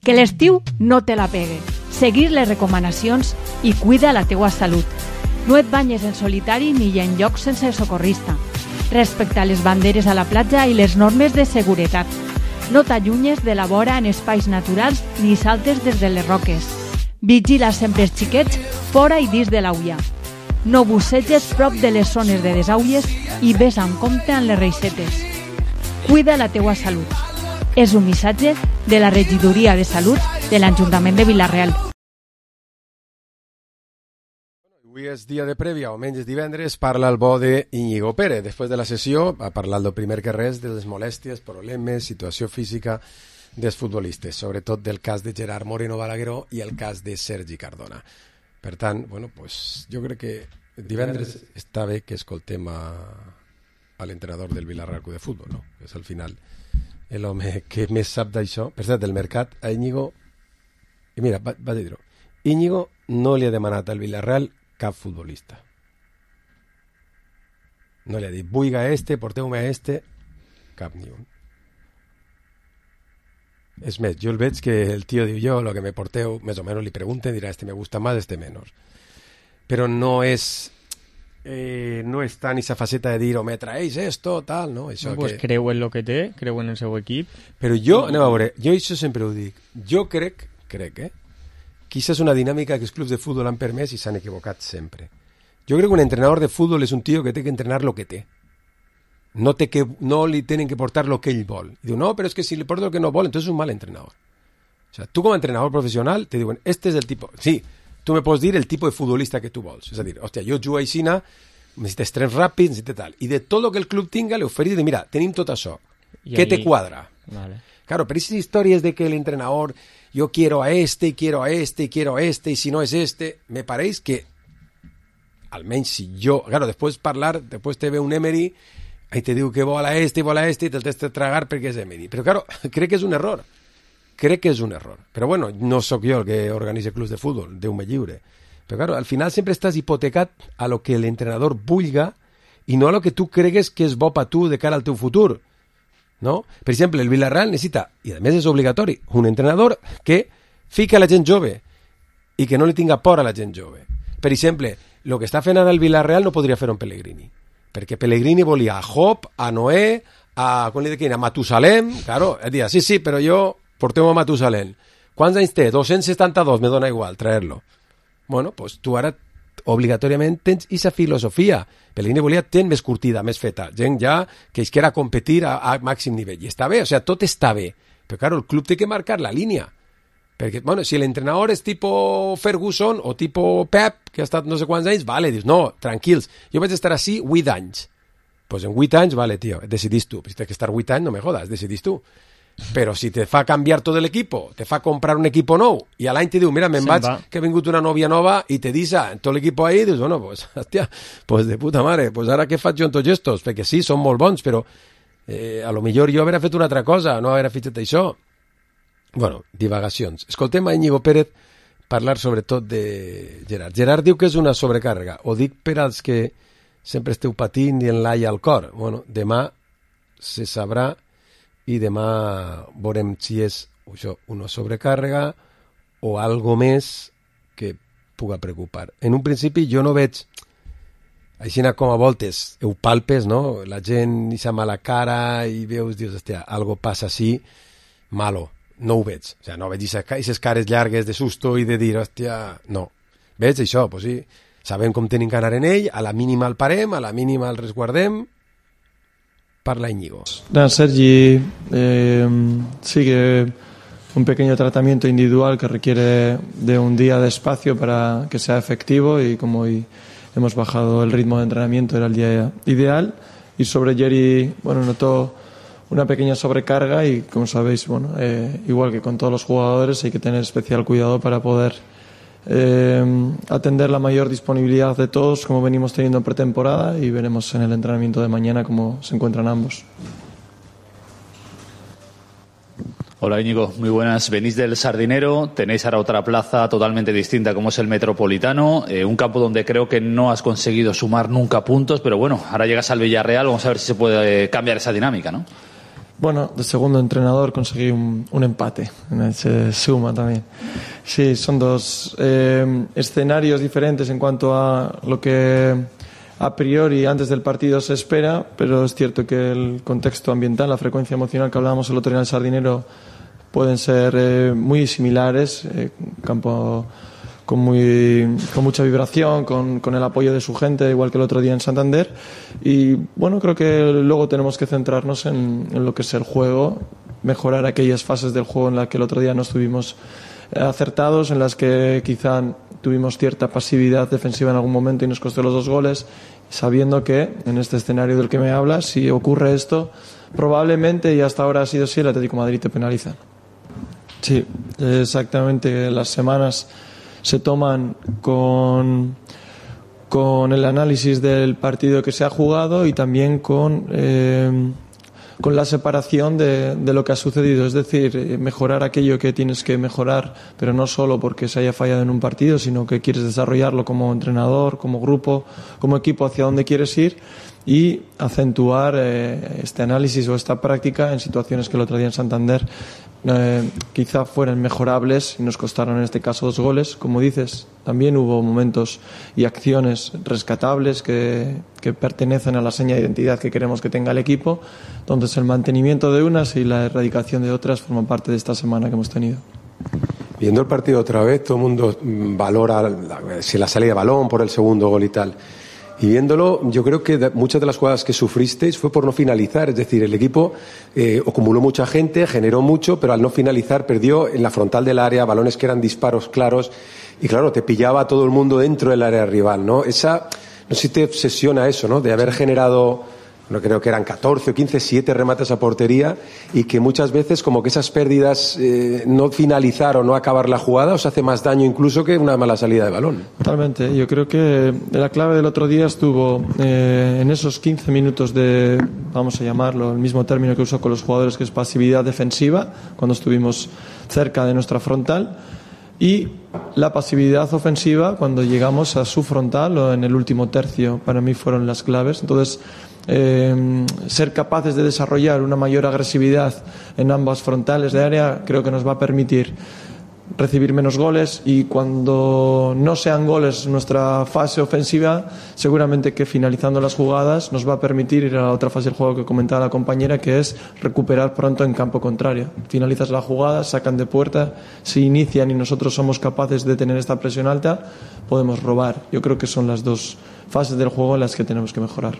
Que l'estiu no te la pegue. Seguir les recomanacions i cuida la teua salut. No et banyes en solitari ni en llocs sense socorrista. Respecta les banderes a la platja i les normes de seguretat. No t'allunyes de la vora en espais naturals ni saltes des de les roques. Vigila sempre els xiquets fora i dins de l'aulla. No busseges prop de les zones de desaulles i ves amb compte amb les reixetes. Cuida la teua salut. És un missatge de la Regidoria de Salut de l'Ajuntament de Vila-real. Avui és dia de prèvia, o menys divendres, parla el bo de Íñigo Pérez. Després de la sessió va parlar del primer que res de les molèsties, problemes, situació física dels futbolistes, sobretot del cas de Gerard Moreno Balagueró i el cas de Sergi Cardona. Per tant, bueno, pues, jo crec que divendres està bé que escoltem a l'entrenador del Villarreal Club de Futbol, no? Que és al final l'home que més sap d'això. Per cert, del mercat a Íñigo, i mira, vaig a dir-ho, Íñigo no li ha demanat al Villarreal cap futbolista. No li ha dit, vuiga porteu-me cap ni un. És més, jo el veig que el tio diu, jo lo que me porteu, més o menys li pregunten, dirà, me gusta más, menos. Però no és tant esa faceta de dir, o me traéis esto, tal, no? Això pues que... creu en lo que té, creu en el seu equip. Però jo, anem a veure, jo això sempre ho dic, jo crec, que aquesta és una dinàmica que els clubs de futbol han permès i s'han equivocat sempre. Jo crec que un entrenador de futbol és un tio que té que entrenar lo que té. No li tenen que portar lo que ell vol. I diu, no, però és que si li porta lo que no vol, entonces és un mal entrenador. O sea, tu com a entrenador professional te diuen, este és el tipo... Sí, tu me pots dir el tipus de futbolista que tu vols. És a dir, hòstia, jo jugo aixina, necessites trens ràpids, necessites tal. I de tot el que el club tinga, li oferís de, mira, tenim tot això. Què te quadra? Vale. Claro, pero esas historias de que el entrenador, yo quiero a y quiero a y quiero a y si no es me pareix que, almenys si jo... Claro, després te ve un Emery, ahí te diu que vol a i te'l tens de tragar perquè és Emery. Però, claro, crec que és un error. Però, bueno, no sóc jo el que organitza clubs de futbol, Déu me lliure. Però, claro, al final sempre estàs hipotecat a lo que l'entrenador vulga i no a lo que tu cregues que és bo per tu de cara al teu futur. No? Per exemple, el Villarreal necessita, i a més és obligatori, un entrenador que fica a la gent jove i que no li tinga por a la gent jove. Per exemple, el que està fent ara el Villarreal no podria fer un Pellegrini, perquè Pellegrini volia a Job, a Noé, a Matusalem, claro, dir, sí, però jo porteu a Matusalem. Quants anys té? 272, me dona igual, traer-lo. Bueno, pues tu ara obligatòriament tens aquesta filosofia. Pellegrini volia gent més curtida, més feta, gent ja que es quiera competir a màxim nivell. I està bé, o sea, tot està bé. Però, claro, el club té que marcar la línia. Perquè, bueno, si l'entrenador és tipo Ferguson o tipo Pep, que ha estat no sé quants anys, vale, dius, no, tranquils, jo vaig estar així 8 anys. Pues en 8 anys, vale, tio, decidís tu. Si tens que estar 8 anys, no me jodas, decidís tu. Però si te fa canviar tot l'equipo, te fa comprar un equipo nou, i a l'any te diu, mira, me'n vaig, que ha vingut una nòvia nova, i te disa tot l'equipo ahí, dius, bueno, pues, hòstia, pues de puta mare, pues ara què faig jo en tots estos? Perquè sí, són molt bons, però a lo millor jo hauria fet una altra cosa, no hauria fet això. Bueno, divagacions. Escoltem a Íñigo Pérez parlar sobretot de Gerard. Gerard diu que és una sobrecàrrega. Ho dic per als que sempre esteu patint i en l'ai al cor. Bueno, demà se sabrà i demà veurem si és això, una sobrecàrrega o algo més que puga preocupar. En un principi jo no veig, així com a voltes ho palpes, no? La gent i sa mala cara i veus, dius, hòstia, algo passa així, malo. No ho veig. O sigui, no veig aquestes cares llargues de susto i de dir, hòstia, no. Veig això, pues sí, sabem com tenim que anar en ell, a la mínima el parem, a la mínima el resguardem. Parla Íñigo. Sergi sigue un pequeño tratamiento individual que requiere de un día de espacio para que sea efectivo, y como hoy hemos bajado el ritmo de entrenamiento, era el día ideal. y sobre Jerry, bueno, notó una pequeña sobrecarga y, como sabéis, bueno, igual que con todos los jugadores, hay que tener especial cuidado para poder atender la mayor disponibilidad de todos, como venimos teniendo en pretemporada, y veremos en el entrenamiento de mañana cómo se encuentran ambos. Hola Íñigo, muy buenas. Venís del Sardinero, tenéis ahora otra plaza totalmente distinta como es el Metropolitano, un campo donde creo que no has conseguido sumar nunca puntos, pero bueno, ahora llegas al Villarreal, vamos a ver si se puede cambiar esa dinámica, ¿no? Bueno, de segundo entrenador conseguí un empate, se suma también. Sí, son dos escenarios diferentes en cuanto a lo que a priori antes del partido se espera, pero es cierto que el contexto ambiental, la frecuencia emocional que hablábamos el otro día en el Sardinero pueden ser muy similares, campo con mucha vibración, con el apoyo de su gente, igual que el otro día en Santander, y bueno, creo que luego tenemos que centrarnos en lo que es el juego, mejorar aquellas fases del juego en las que el otro día no estuvimos acertados, en las que quizá tuvimos cierta pasividad defensiva en algún momento y nos costó los 2 goles, sabiendo que en este escenario del que me hablas, si ocurre esto, probablemente, y hasta ahora ha sido así, el Atlético de Madrid te penaliza. Sí, exactamente. Las semanas se toman con el análisis del partido que se ha jugado y también con la separación de lo que ha sucedido, es decir, mejorar aquello que tienes que mejorar, pero no solo porque se haya fallado en un partido, sino que quieres desarrollarlo como entrenador, como grupo, como equipo, hacia dónde quieres ir, y acentuar este análisis o esta práctica en situaciones que el otro día en Santander quizá fueran mejorables y nos costaron en este caso 2 goles. Como dices, también hubo momentos y acciones rescatables que pertenecen a la seña de identidad que queremos que tenga el equipo. Entonces el mantenimiento de unas y la erradicación de otras forman parte de esta semana que hemos tenido. Viendo el partido otra vez, todo el mundo valora si la salida de balón por el segundo gol y tal. Y viéndolo, yo creo que muchas de las jugadas que sufristeis fue por no finalizar. Es decir, el equipo acumuló mucha gente, generó mucho, pero al no finalizar perdió en la frontal del área balones que eran disparos claros. Y claro, te pillaba a todo el mundo dentro del área rival, ¿no? No sé si te obsesiona eso, ¿no? De haber generado, no creo que eran 14 o 15, 7 remates a portería, y que muchas veces como que esas pérdidas, no finalizar o no acabar la jugada, os hace más daño incluso que una mala salida de balón. Totalmente. Yo creo que la clave del otro día estuvo en esos 15 minutos de, vamos a llamarlo, el mismo término que uso con los jugadores, que es pasividad defensiva, cuando estuvimos cerca de nuestra frontal, y la pasividad ofensiva cuando llegamos a su frontal o en el último tercio. Para mí fueron las claves. Entonces, ser capaces de desarrollar una mayor agresividad en ambas frontales de área creo que nos va a permitir recibir menos goles, y cuando no sean goles nuestra fase ofensiva, seguramente que finalizando las jugadas nos va a permitir ir a la otra fase del juego que comentaba la compañera, que es recuperar pronto en campo contrario. Finalizas la jugada, sacan de puerta, se inician y nosotros somos capaces de tener esta presión alta, podemos robar. Yo creo que son las 2 fases del juego en las que tenemos que mejorar.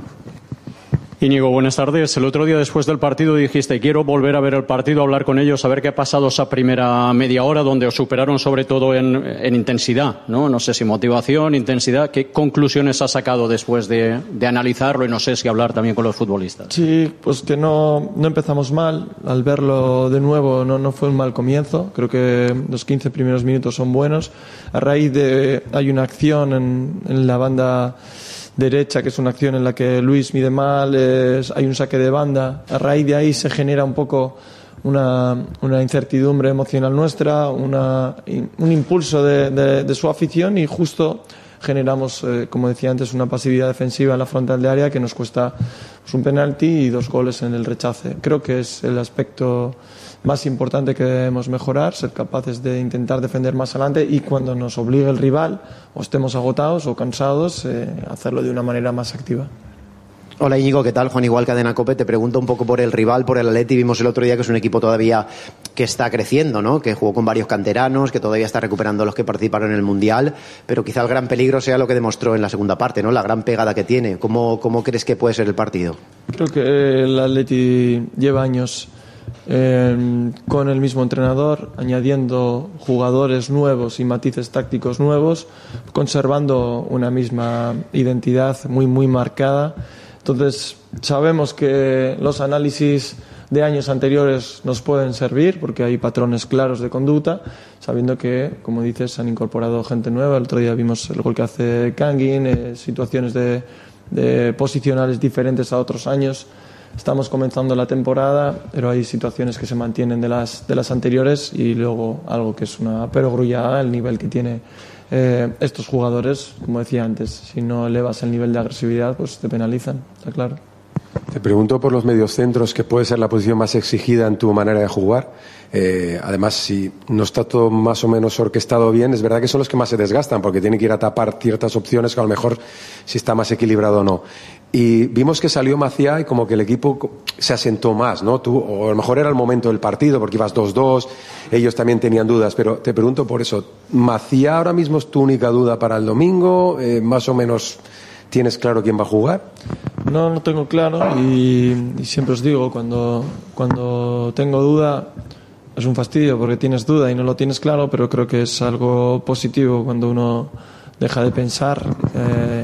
Íñigo, buenas tardes. El otro día después del partido dijiste: quiero volver a ver el partido, hablar con ellos, saber qué ha pasado esa primera media hora donde os superaron sobre todo en intensidad, ¿no? No sé si motivación, intensidad. ¿Qué conclusiones has sacado después de analizarlo? Y no sé si hablar también con los futbolistas. Sí, pues que no empezamos mal. Al verlo de nuevo no fue un mal comienzo. Creo que los 15 primeros minutos son buenos. A raíz de hay una acción en la banda derecha, que es una acción en la que Luis mide mal, hay un saque de banda. A raíz de ahí se genera un poco una incertidumbre emocional nuestra, un impulso de su afición, y justo generamos, como decía antes, una pasividad defensiva en la frontal de área que nos cuesta un penalti y 2 goles en el rechace. Creo que es el aspecto más importante que debemos mejorar, ser capaces de intentar defender más adelante, y cuando nos obligue el rival o estemos agotados o cansados, hacerlo de una manera más activa. Hola Íñigo, ¿qué tal? Juan Igual, Cadena COPE. Te pregunto un poco por el rival, por el Atleti. Vimos el otro día que es un equipo todavía que está creciendo, ¿no? Que jugó con varios canteranos, que todavía está recuperando los que participaron en el Mundial, pero quizá el gran peligro sea lo que demostró en la segunda parte, ¿no? La gran pegada que tiene. ¿Cómo crees que puede ser el partido? Creo que el Atleti lleva años con el mismo entrenador, añadiendo jugadores nuevos y matices tácticos nuevos, conservando una misma identidad muy marcada. Entonces, sabemos que los análisis de años anteriores nos pueden servir porque hay patrones claros de conducta, sabiendo que, como dices, se han incorporado gente nueva. El otro día vimos el gol que hace Kangin, situaciones de posicionales diferentes a otros años. Estamos comenzando la temporada, pero hay situaciones que se mantienen de las anteriores y luego algo que es una perogrullada, el nivel que tiene estos jugadores. Como decía antes, si no elevas el nivel de agresividad, pues te penalizan, está claro. Te pregunto por los mediocentros, que puede ser la posición más exigida en tu manera de jugar. Además, si no está todo más o menos orquestado bien, es verdad que son los que más se desgastan, porque tienen que ir a tapar ciertas opciones que a lo mejor si está más equilibrado o no. Y vimos que salió Macià y como que el equipo se asentó más, ¿no? O a lo mejor era el momento del partido, porque ibas 2-2, ellos también tenían dudas, pero te pregunto por eso, ¿Macià ahora mismo es tu única duda para el domingo? ¿Más o menos tienes claro quién va a jugar? No tengo claro y siempre os digo, cuando tengo duda es un fastidio porque tienes duda y no lo tienes claro, pero creo que es algo positivo cuando uno deja de pensar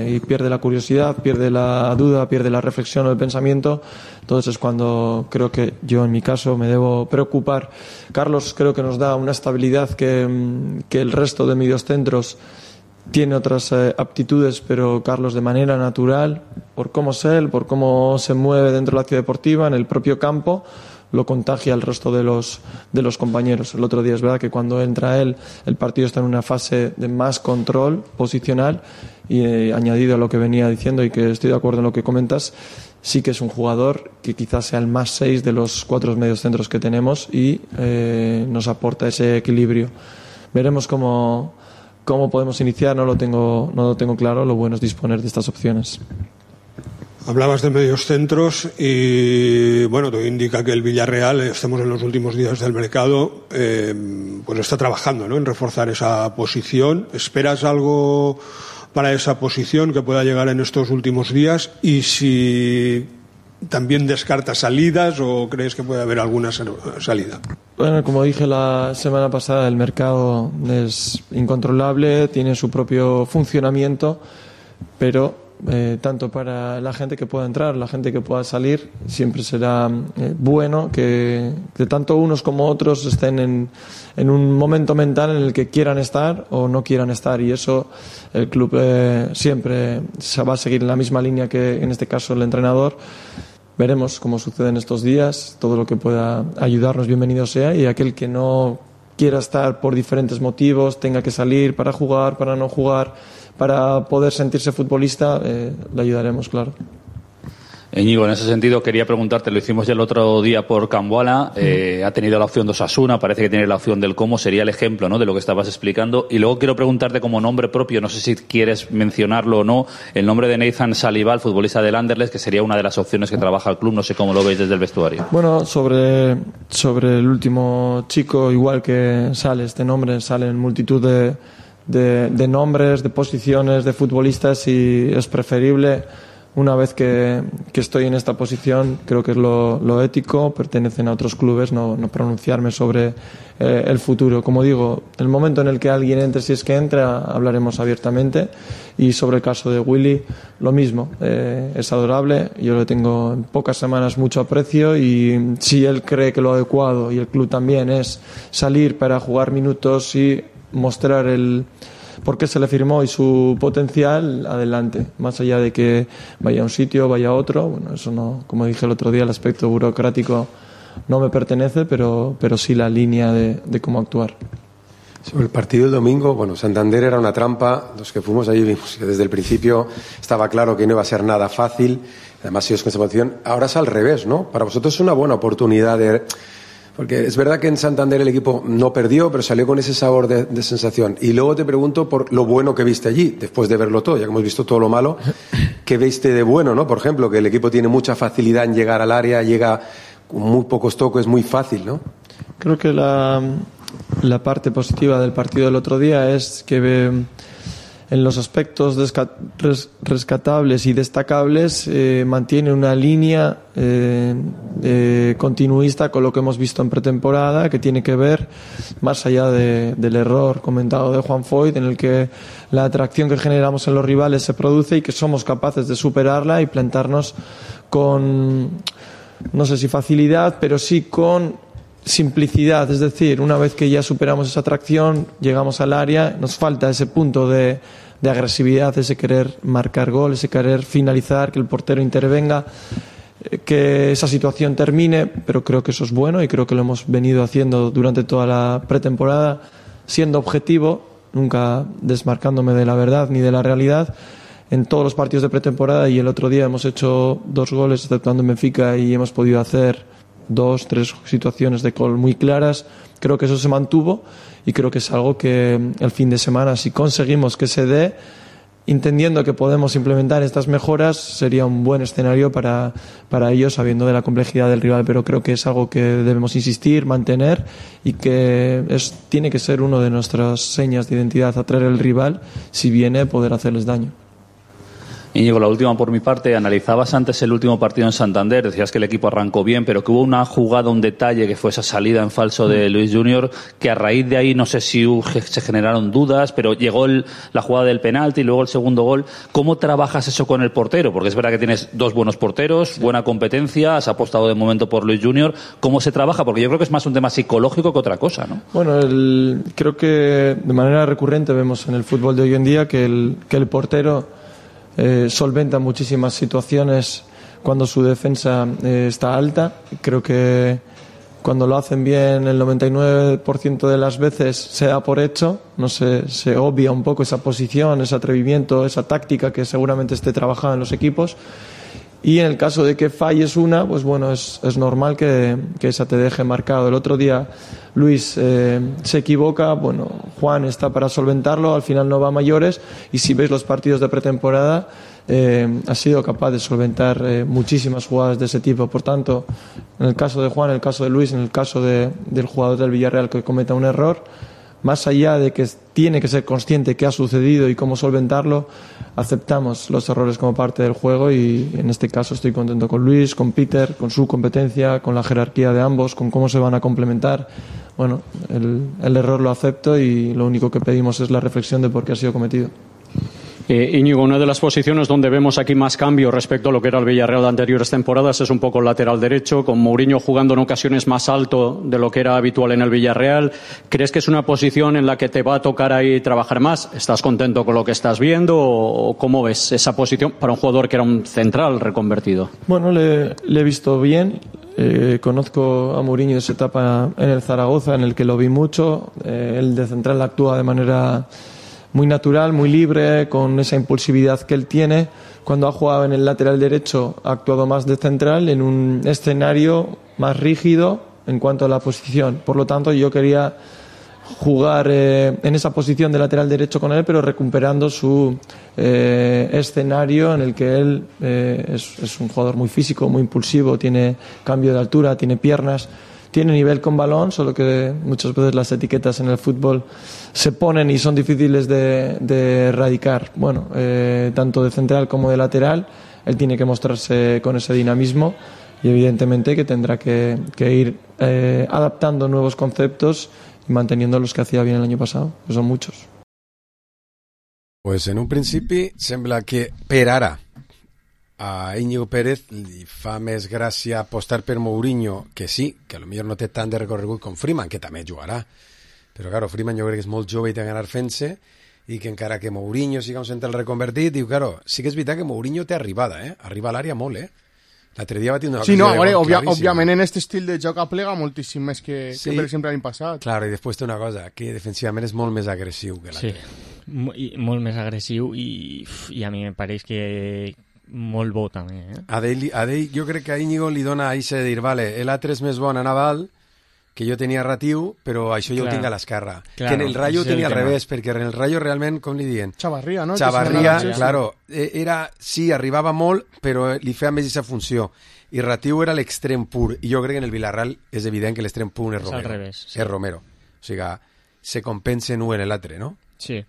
y pierde la curiosidad, pierde la duda, pierde la reflexión o el pensamiento. Entonces es cuando creo que yo en mi caso me debo preocupar. Carlos creo que nos da una estabilidad que el resto de mediocentros tiene otras aptitudes, pero Carlos de manera natural, por cómo es él, por cómo se mueve dentro de la ciudad deportiva, en el propio campo, lo contagia al resto de los compañeros. El otro día es verdad que cuando entra él, el partido está en una fase de más control posicional y añadido a lo que venía diciendo y que estoy de acuerdo en lo que comentas, sí que es un jugador que quizás sea el más 6 de los 4 mediocentros que tenemos y nos aporta ese equilibrio. Veremos cómo podemos iniciar, no lo tengo claro. Lo bueno es disponer de estas opciones. Hablabas de medios centros y bueno, todo indica que el Villarreal, estamos en los últimos días del mercado, pues está trabajando, ¿no?, en reforzar esa posición. ¿Esperas algo para esa posición que pueda llegar en estos últimos días? Y si también descartas salidas o crees que puede haber alguna salida. Bueno, como dije la semana pasada, el mercado es incontrolable, tiene su propio funcionamiento, pero tanto para la gente que pueda entrar, la gente que pueda salir, siempre será bueno que tanto unos como otros estén en un momento mental en el que quieran estar o no quieran estar, y eso el club siempre se va a seguir en la misma línea que en este caso el entrenador. Veremos cómo sucede en estos días, todo lo que pueda ayudarnos bienvenido sea, y aquel que no quiera estar por diferentes motivos, tenga que salir para jugar, para no jugar, para poder sentirse futbolista, le ayudaremos, claro. Íñigo, en ese sentido quería preguntarte, lo hicimos ya el otro día por Camboala, ha tenido la opción de Osasuna, parece que tiene la opción del Como, sería el ejemplo, ¿no?, de lo que estabas explicando. Y luego quiero preguntarte como nombre propio, no sé si quieres mencionarlo o no, el nombre de Nathan Saliba, futbolista del Anderlecht, que sería una de las opciones que trabaja el club, no sé cómo lo veis desde el vestuario. Bueno, sobre el último chico, igual que sale este nombre, salen multitud de nombres, de posiciones, de futbolistas, y es preferible, una vez que estoy en esta posición, creo que es lo ético, pertenecen a otros clubes, no pronunciarme sobre el futuro. Como digo, el momento en el que alguien entre, si es que entra, hablaremos abiertamente. Y sobre el caso de Willy, lo mismo, es adorable, yo le tengo en pocas semanas mucho aprecio, y si él cree que lo adecuado, y el club también, es salir para jugar minutos y mostrar por qué se le firmó y su potencial, adelante. Más allá de que vaya a un sitio, vaya a otro, bueno, eso no, como dije el otro día, el aspecto burocrático no me pertenece, pero sí la línea de cómo actuar. Sobre el partido del domingo, bueno, Santander era una trampa. Los que fuimos allí vimos que desde el principio estaba claro que no iba a ser nada fácil. Además, ellos con esa posición. Ahora es al revés, ¿no? Para vosotros es una buena oportunidad porque es verdad que en Santander el equipo no perdió, pero salió con ese sabor de sensación. Y luego te pregunto por lo bueno que viste allí, después de verlo todo, ya que hemos visto todo lo malo, ¿qué viste de bueno, no? Por ejemplo, que el equipo tiene mucha facilidad en llegar al área, llega con muy pocos toques, es muy fácil, ¿no? Creo que la parte positiva del partido del otro día es que en los aspectos rescatables y destacables mantiene una línea continuista con lo que hemos visto en pretemporada, que tiene que ver, más allá del error comentado de Juan Foyth, en el que la atracción que generamos en los rivales se produce y que somos capaces de superarla y plantarnos con, no sé si facilidad, pero sí con simplicidad. Es decir, una vez que ya superamos esa atracción, llegamos al área, nos falta ese punto de agresividad, ese querer marcar gol, ese querer finalizar, que el portero intervenga, que esa situación termine, pero creo que eso es bueno y creo que lo hemos venido haciendo durante toda la pretemporada, siendo objetivo, nunca desmarcándome de la verdad ni de la realidad, en todos los partidos de pretemporada, y el otro día hemos hecho 2 goles, exceptuando en Benfica, y hemos podido hacer 2, 3 situaciones de gol muy claras. Creo que eso se mantuvo y creo que es algo que el fin de semana, si conseguimos que se dé, entendiendo que podemos implementar estas mejoras, sería un buen escenario para ellos, sabiendo de la complejidad del rival, pero creo que es algo que debemos insistir, mantener, y que tiene que ser una de nuestras señas de identidad, atraer al rival, si viene, poder hacerles daño. Íñigo, la última por mi parte. Analizabas antes el último partido en Santander, decías que el equipo arrancó bien, pero que hubo una jugada, un detalle, que fue esa salida en falso de Luis Junior, que a raíz de ahí no sé si se generaron dudas, pero llegó la jugada del penalti y luego el segundo gol. ¿Cómo trabajas eso con el portero? Porque es verdad que tienes 2 buenos porteros, buena competencia, has apostado de momento por Luis Junior. ¿Cómo se trabaja? Porque yo creo que es más un tema psicológico que otra cosa, ¿no? Bueno, creo que de manera recurrente vemos en el fútbol de hoy en día que el portero solventa muchísimas situaciones cuando su defensa está alta. Creo que cuando lo hacen bien, el 99% de las veces se da por hecho, no se obvia un poco esa posición, ese atrevimiento, esa táctica que seguramente esté trabajada en los equipos. Y en el caso de que falles una, pues bueno, es normal que esa te deje marcado. El otro día Luis se equivoca, bueno, Juan está para solventarlo, al final no va a mayores, y si veis los partidos de pretemporada, ha sido capaz de solventar muchísimas jugadas de ese tipo. Por tanto, en el caso de Juan, en el caso de Luis, en el caso del jugador del Villarreal que cometa un error, más allá de que tiene que ser consciente qué ha sucedido y cómo solventarlo, aceptamos los errores como parte del juego, y en este caso estoy contento con Luis, con Peter, con su competencia, con la jerarquía de ambos, con cómo se van a complementar. Bueno, el error lo acepto y lo único que pedimos es la reflexión de por qué ha sido cometido. Íñigo, una de las posiciones donde vemos aquí más cambio respecto a lo que era el Villarreal de anteriores temporadas es un poco el lateral derecho, con Mourinho jugando en ocasiones más alto de lo que era habitual en el Villarreal. ¿Crees que es una posición en la que te va a tocar ahí trabajar más? ¿Estás contento con lo que estás viendo o cómo ves esa posición para un jugador que era un central reconvertido? Bueno, le he visto bien. Conozco a Mourinho de su etapa en el Zaragoza, en el que lo vi mucho. Él de central actúa de manera muy natural, muy libre, con esa impulsividad que él tiene. Cuando ha jugado en el lateral derecho ha actuado más de central, en un escenario más rígido en cuanto a la posición. Por lo tanto, yo quería jugar en esa posición de lateral derecho con él, pero recuperando su escenario en el que él es un jugador muy físico, muy impulsivo, tiene cambio de altura, tiene piernas, tiene nivel con balón, solo que muchas veces las etiquetas en el fútbol se ponen y son difíciles de erradicar. Bueno, tanto de central como de lateral, él tiene que mostrarse con ese dinamismo, y evidentemente que tendrá que ir adaptando nuevos conceptos y manteniendo los que hacía bien el año pasado, que son muchos. Pues en un principi sembla que per ara a Íñigo Pérez li fa més gràcia apostar per Mourinho, que sí, que potser no té tant de recorregut com Freeman, que també jugarà, però claro, Freeman jo crec que és molt jove i té ganar fent-se, i que encara que Mourinho siga un central reconvertit, diu, claro, sí que és veritat que Mourinho té arribada, arriba a l'àrea molt, L'altre dia va tenir una sí, no, òbviament en aquest estil de joc aplega moltíssim més que per exemple l'any passat. Claro, i després té una cosa, que defensivament és molt més agressiu que l'altre. Sí, molt més agressiu i a mi em pareix que molt bo també. A ell jo crec que a Íñigo li dona a això de dir, vale, l'altre és més bon a Naval, que jo tenia Ratiu, però això jo ho tinc a l'esquerra. Que en el Rayo ho tenia al revés, perquè en el Rayo realment, com li diuen? Chavarria, no? Chavarria, claro, sí, arribava molt, però li feia més aquesta funció. I Ratiu era l'extrem pur, i jo crec que en el Villarreal és evident que l'extrem pur és Romero. És al revés. És Romero. O sigui, se compensen un en l'altre, no? Sí.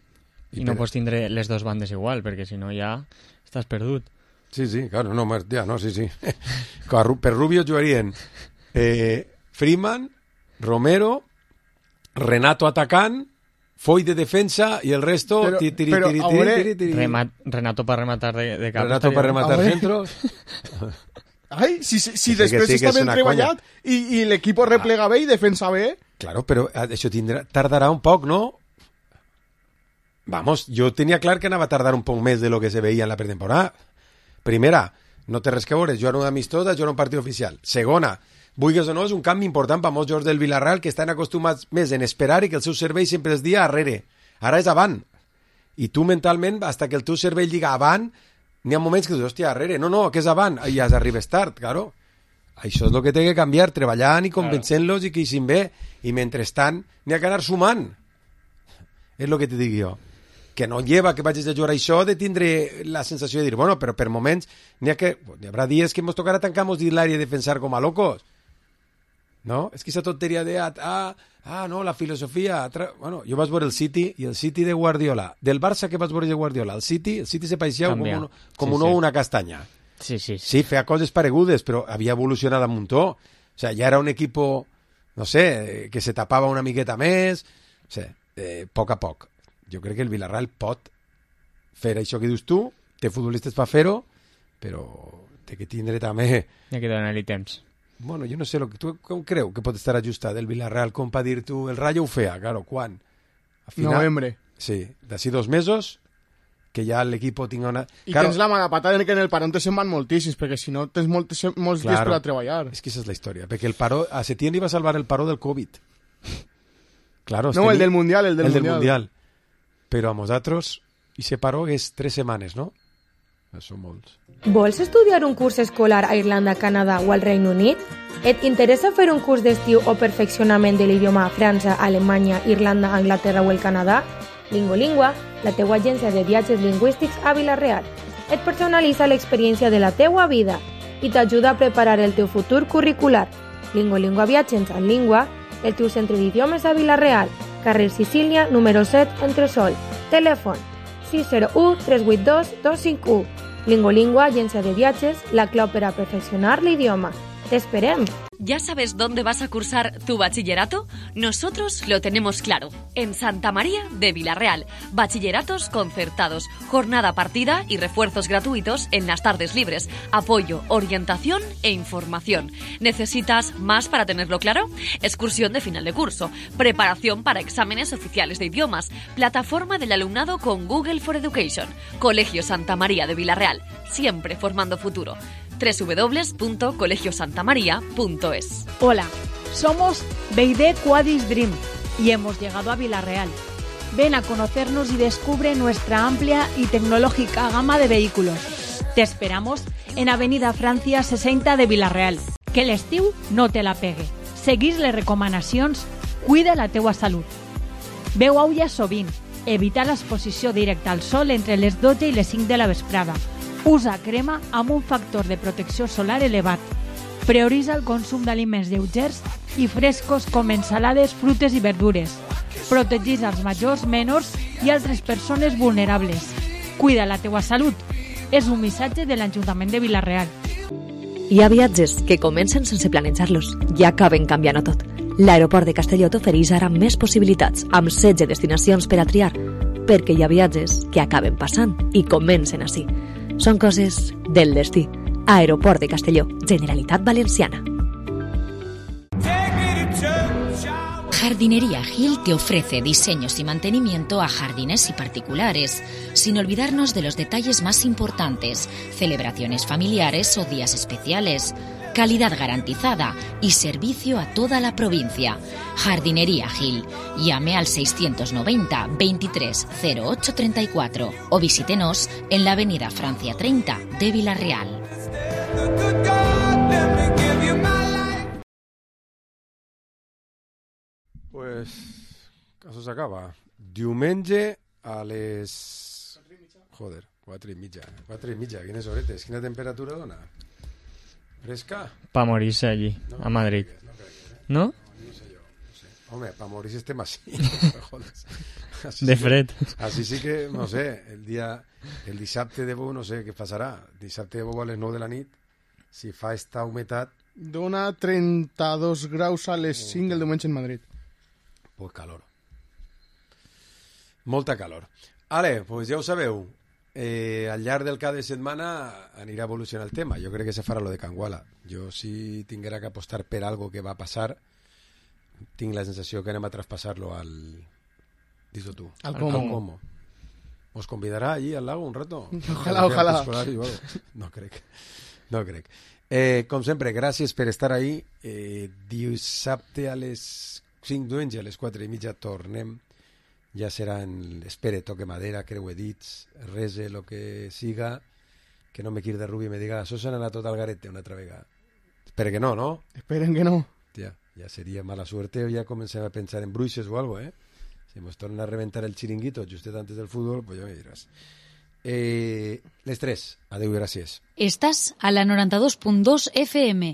I no pots tindre les dos bandes igual, perquè si no ja estàs perdut. Sí, claro, no, sí. Per Rubio jugarien Freeman, Romero, Renato atacant, Foy de defensa y el resto Renato para rematar de cap. Renato para rematar centros. Ai, si després està ben treballat i l'equip replega bé i defensa bé. Claro, però això tardarà un poc, ¿no? Vamos, jo tenia clar que anava a tardar un poc més de lo que se veia en la pretemporada. Primera, no té res que veure, jugar una amistosa, jugar un partit oficial. Segona, vulguis o no, és un canvi important per molts jugadors del Villarreal que estan acostumats més en esperar i que el seu cervell sempre es dia arrere. Ara és avant. I tu mentalment, hasta que el teu cervell diga avant, n'hi ha moments que dius, hòstia, arrere. No, que és avant. I ja arribes tard, claro. Això és el que té que canviar, treballant i convencent-los i que hi sin bé. I mentrestant, n'hi ha que anar sumant. És el que te dic jo. Que no lleva que vagis a jugar això de tindre la sensació de dir, bueno, però per moments n'hi haurà dies que ens tocarà tancar-nos dins l'àrea i defensar com a locos. No? És que aquesta tonteria de no, la filosofia... Bueno, jo vaig veure el City i el City de Guardiola. Del Barça que vaig veure de Guardiola. El City se pareixia com una castanya. Sí, feia coses paregudes, però havia evolucionat a muntó. O sea, ja era un equipo, no sé, que se tapava una miqueta més. O sea, poc a poc. Jo crec que el Villarreal pot fer això que dius tu, té futbolistes per fer-ho, però té que tindre també... Hi ha que donar-li temps. Bueno, jo no sé, tu com creu que pot estar ajustat el Villarreal com per dir tu, el Rayo ho feia, claro, quan? A final, novembre. Sí, d'ací 2 mesos, que ja l'equip tinga una... I tens la mala patada que en el parón te se'n van moltíssims, perquè si no tens molts dies per a treballar. És que aquesta és la història, perquè el paró, a Setién li va salvar el paró del Covid. Claro, no, el del Mundial, el del Mundial. Però a nosaltres, i se paró és 3 setmanes, no? Són molts. Vols estudiar un curs escolar a Irlanda, Canadà o al Regne Unit? Et interessa fer un curs d'estiu o perfeccionament de l'idioma a França, Alemanya, Irlanda, Anglaterra o el Canadà? Lingolingua, la teua agència de viatges lingüístics a Vila-real. Et personalitza l'experiència de la teua vida i t'ajuda a preparar el teu futur curricular. Lingolingua Viatges en Língua, el teu centre d'idiomes a Vila-real, carrer Sicília, número 7, Entresol. Telèfon 601 382 251. Lingolingua, agència de viatges, la clau per a perfeccionar l'idioma. ¡Te esperem! ¿Ya sabes dónde vas a cursar tu bachillerato? Nosotros lo tenemos claro. En Santa María de Vila-real. Bachilleratos concertados, jornada partida y refuerzos gratuitos en las tardes libres. Apoyo, orientación e información. ¿Necesitas más para tenerlo claro? Excursión de final de curso. Preparación para exámenes oficiales de idiomas. Plataforma del alumnado con Google for Education. Colegio Santa María de Vila-real. Siempre formando futuro. www.colegiosantamaria.es. Hola, somos Beide Quadis Dream y hemos llegado a Vila-real. Ven a conocernos y descubre nuestra amplia y tecnológica gama de vehículos. Te esperamos en Avenida Francia 60 de Vila-real. Que l'estiu no te la pegue. Seguís les recomanacions, cuida la teua salut. Beu aigua sovint, evita l'exposició directa al sol entre les 12 i les 5 de la vesprada. Usa crema amb un factor de protecció solar elevat. Prioritza el consum d'aliments lleugers i frescos com ensalades, frutes i verdures. Protegeix els majors, menors i altres persones vulnerables. Cuida la teua salut. És un missatge de l'Ajuntament de Vila-real. Hi ha viatges que comencen sense planejar-los i acaben canviant-ho tot. L'aeroport de Castelló t'ofereix ara més possibilitats, amb 16 destinacions per a triar, perquè hi ha viatges que acaben passant i comencen així. Són coses del destí. Aeroport de Castelló, Generalitat Valenciana. Jardinería Gil te ofrece diseños y mantenimiento a jardines y particulares, sin olvidarnos de los detalles más importantes, celebraciones familiares o días especiales. Calidad garantizada y servicio a toda la provincia. Jardinería Gil. Llame al 690 23 08 34 o visítenos en la avenida Francia 30 de Vila-real. Pues, això s'acaba. Diumenge a les... Joder, 4:30. 4:30, quines horetes, quina temperatura dona? ¿Fresca? Para morirse allí, no, a Madrid. ¿No? No sé yo, no sé. Hombre, para morirse estem así. de fred. Així sí que, no sé, el dissabte de bo, no sé què passarà. Dissabte de bo a les 9 de la nit, si fa esta humitat... Dona 32 graus a les 5 el diumenge en Madrid. Pues calor. Molta calor. Ale, pues ja ho sabeu. Al llarg del cada setmana anirà a evolucionar el tema. Jo crec que se farà lo de Canguala. Jo, si tinguera que apostar per algo que va passar, tinc la sensació que anem a traspassar-lo al... Dis-ho tu. Al Como. ¿Os convidará allí al lago un rato? Ojalá. No crec. Com sempre, gràcies per estar ahí. Dissabte a les 5 diumenge, a les 4:30 tornem. Ja serà espere, toque madera, creue dits, rese, lo que siga, que no me quiri de Rubi i me diga, això s'ha anat tot al garete una altra vegada. Espero que no, ¿no? Esperen que no. Hòstia, ja seria mala suerte o ja comencem a pensar en bruixes o algo, Si nos tornen a reventar el chiringuito justet antes del fútbol, pues ja me diràs. Les 3. Adéu i gràcies. Estás a la 92.2 FM.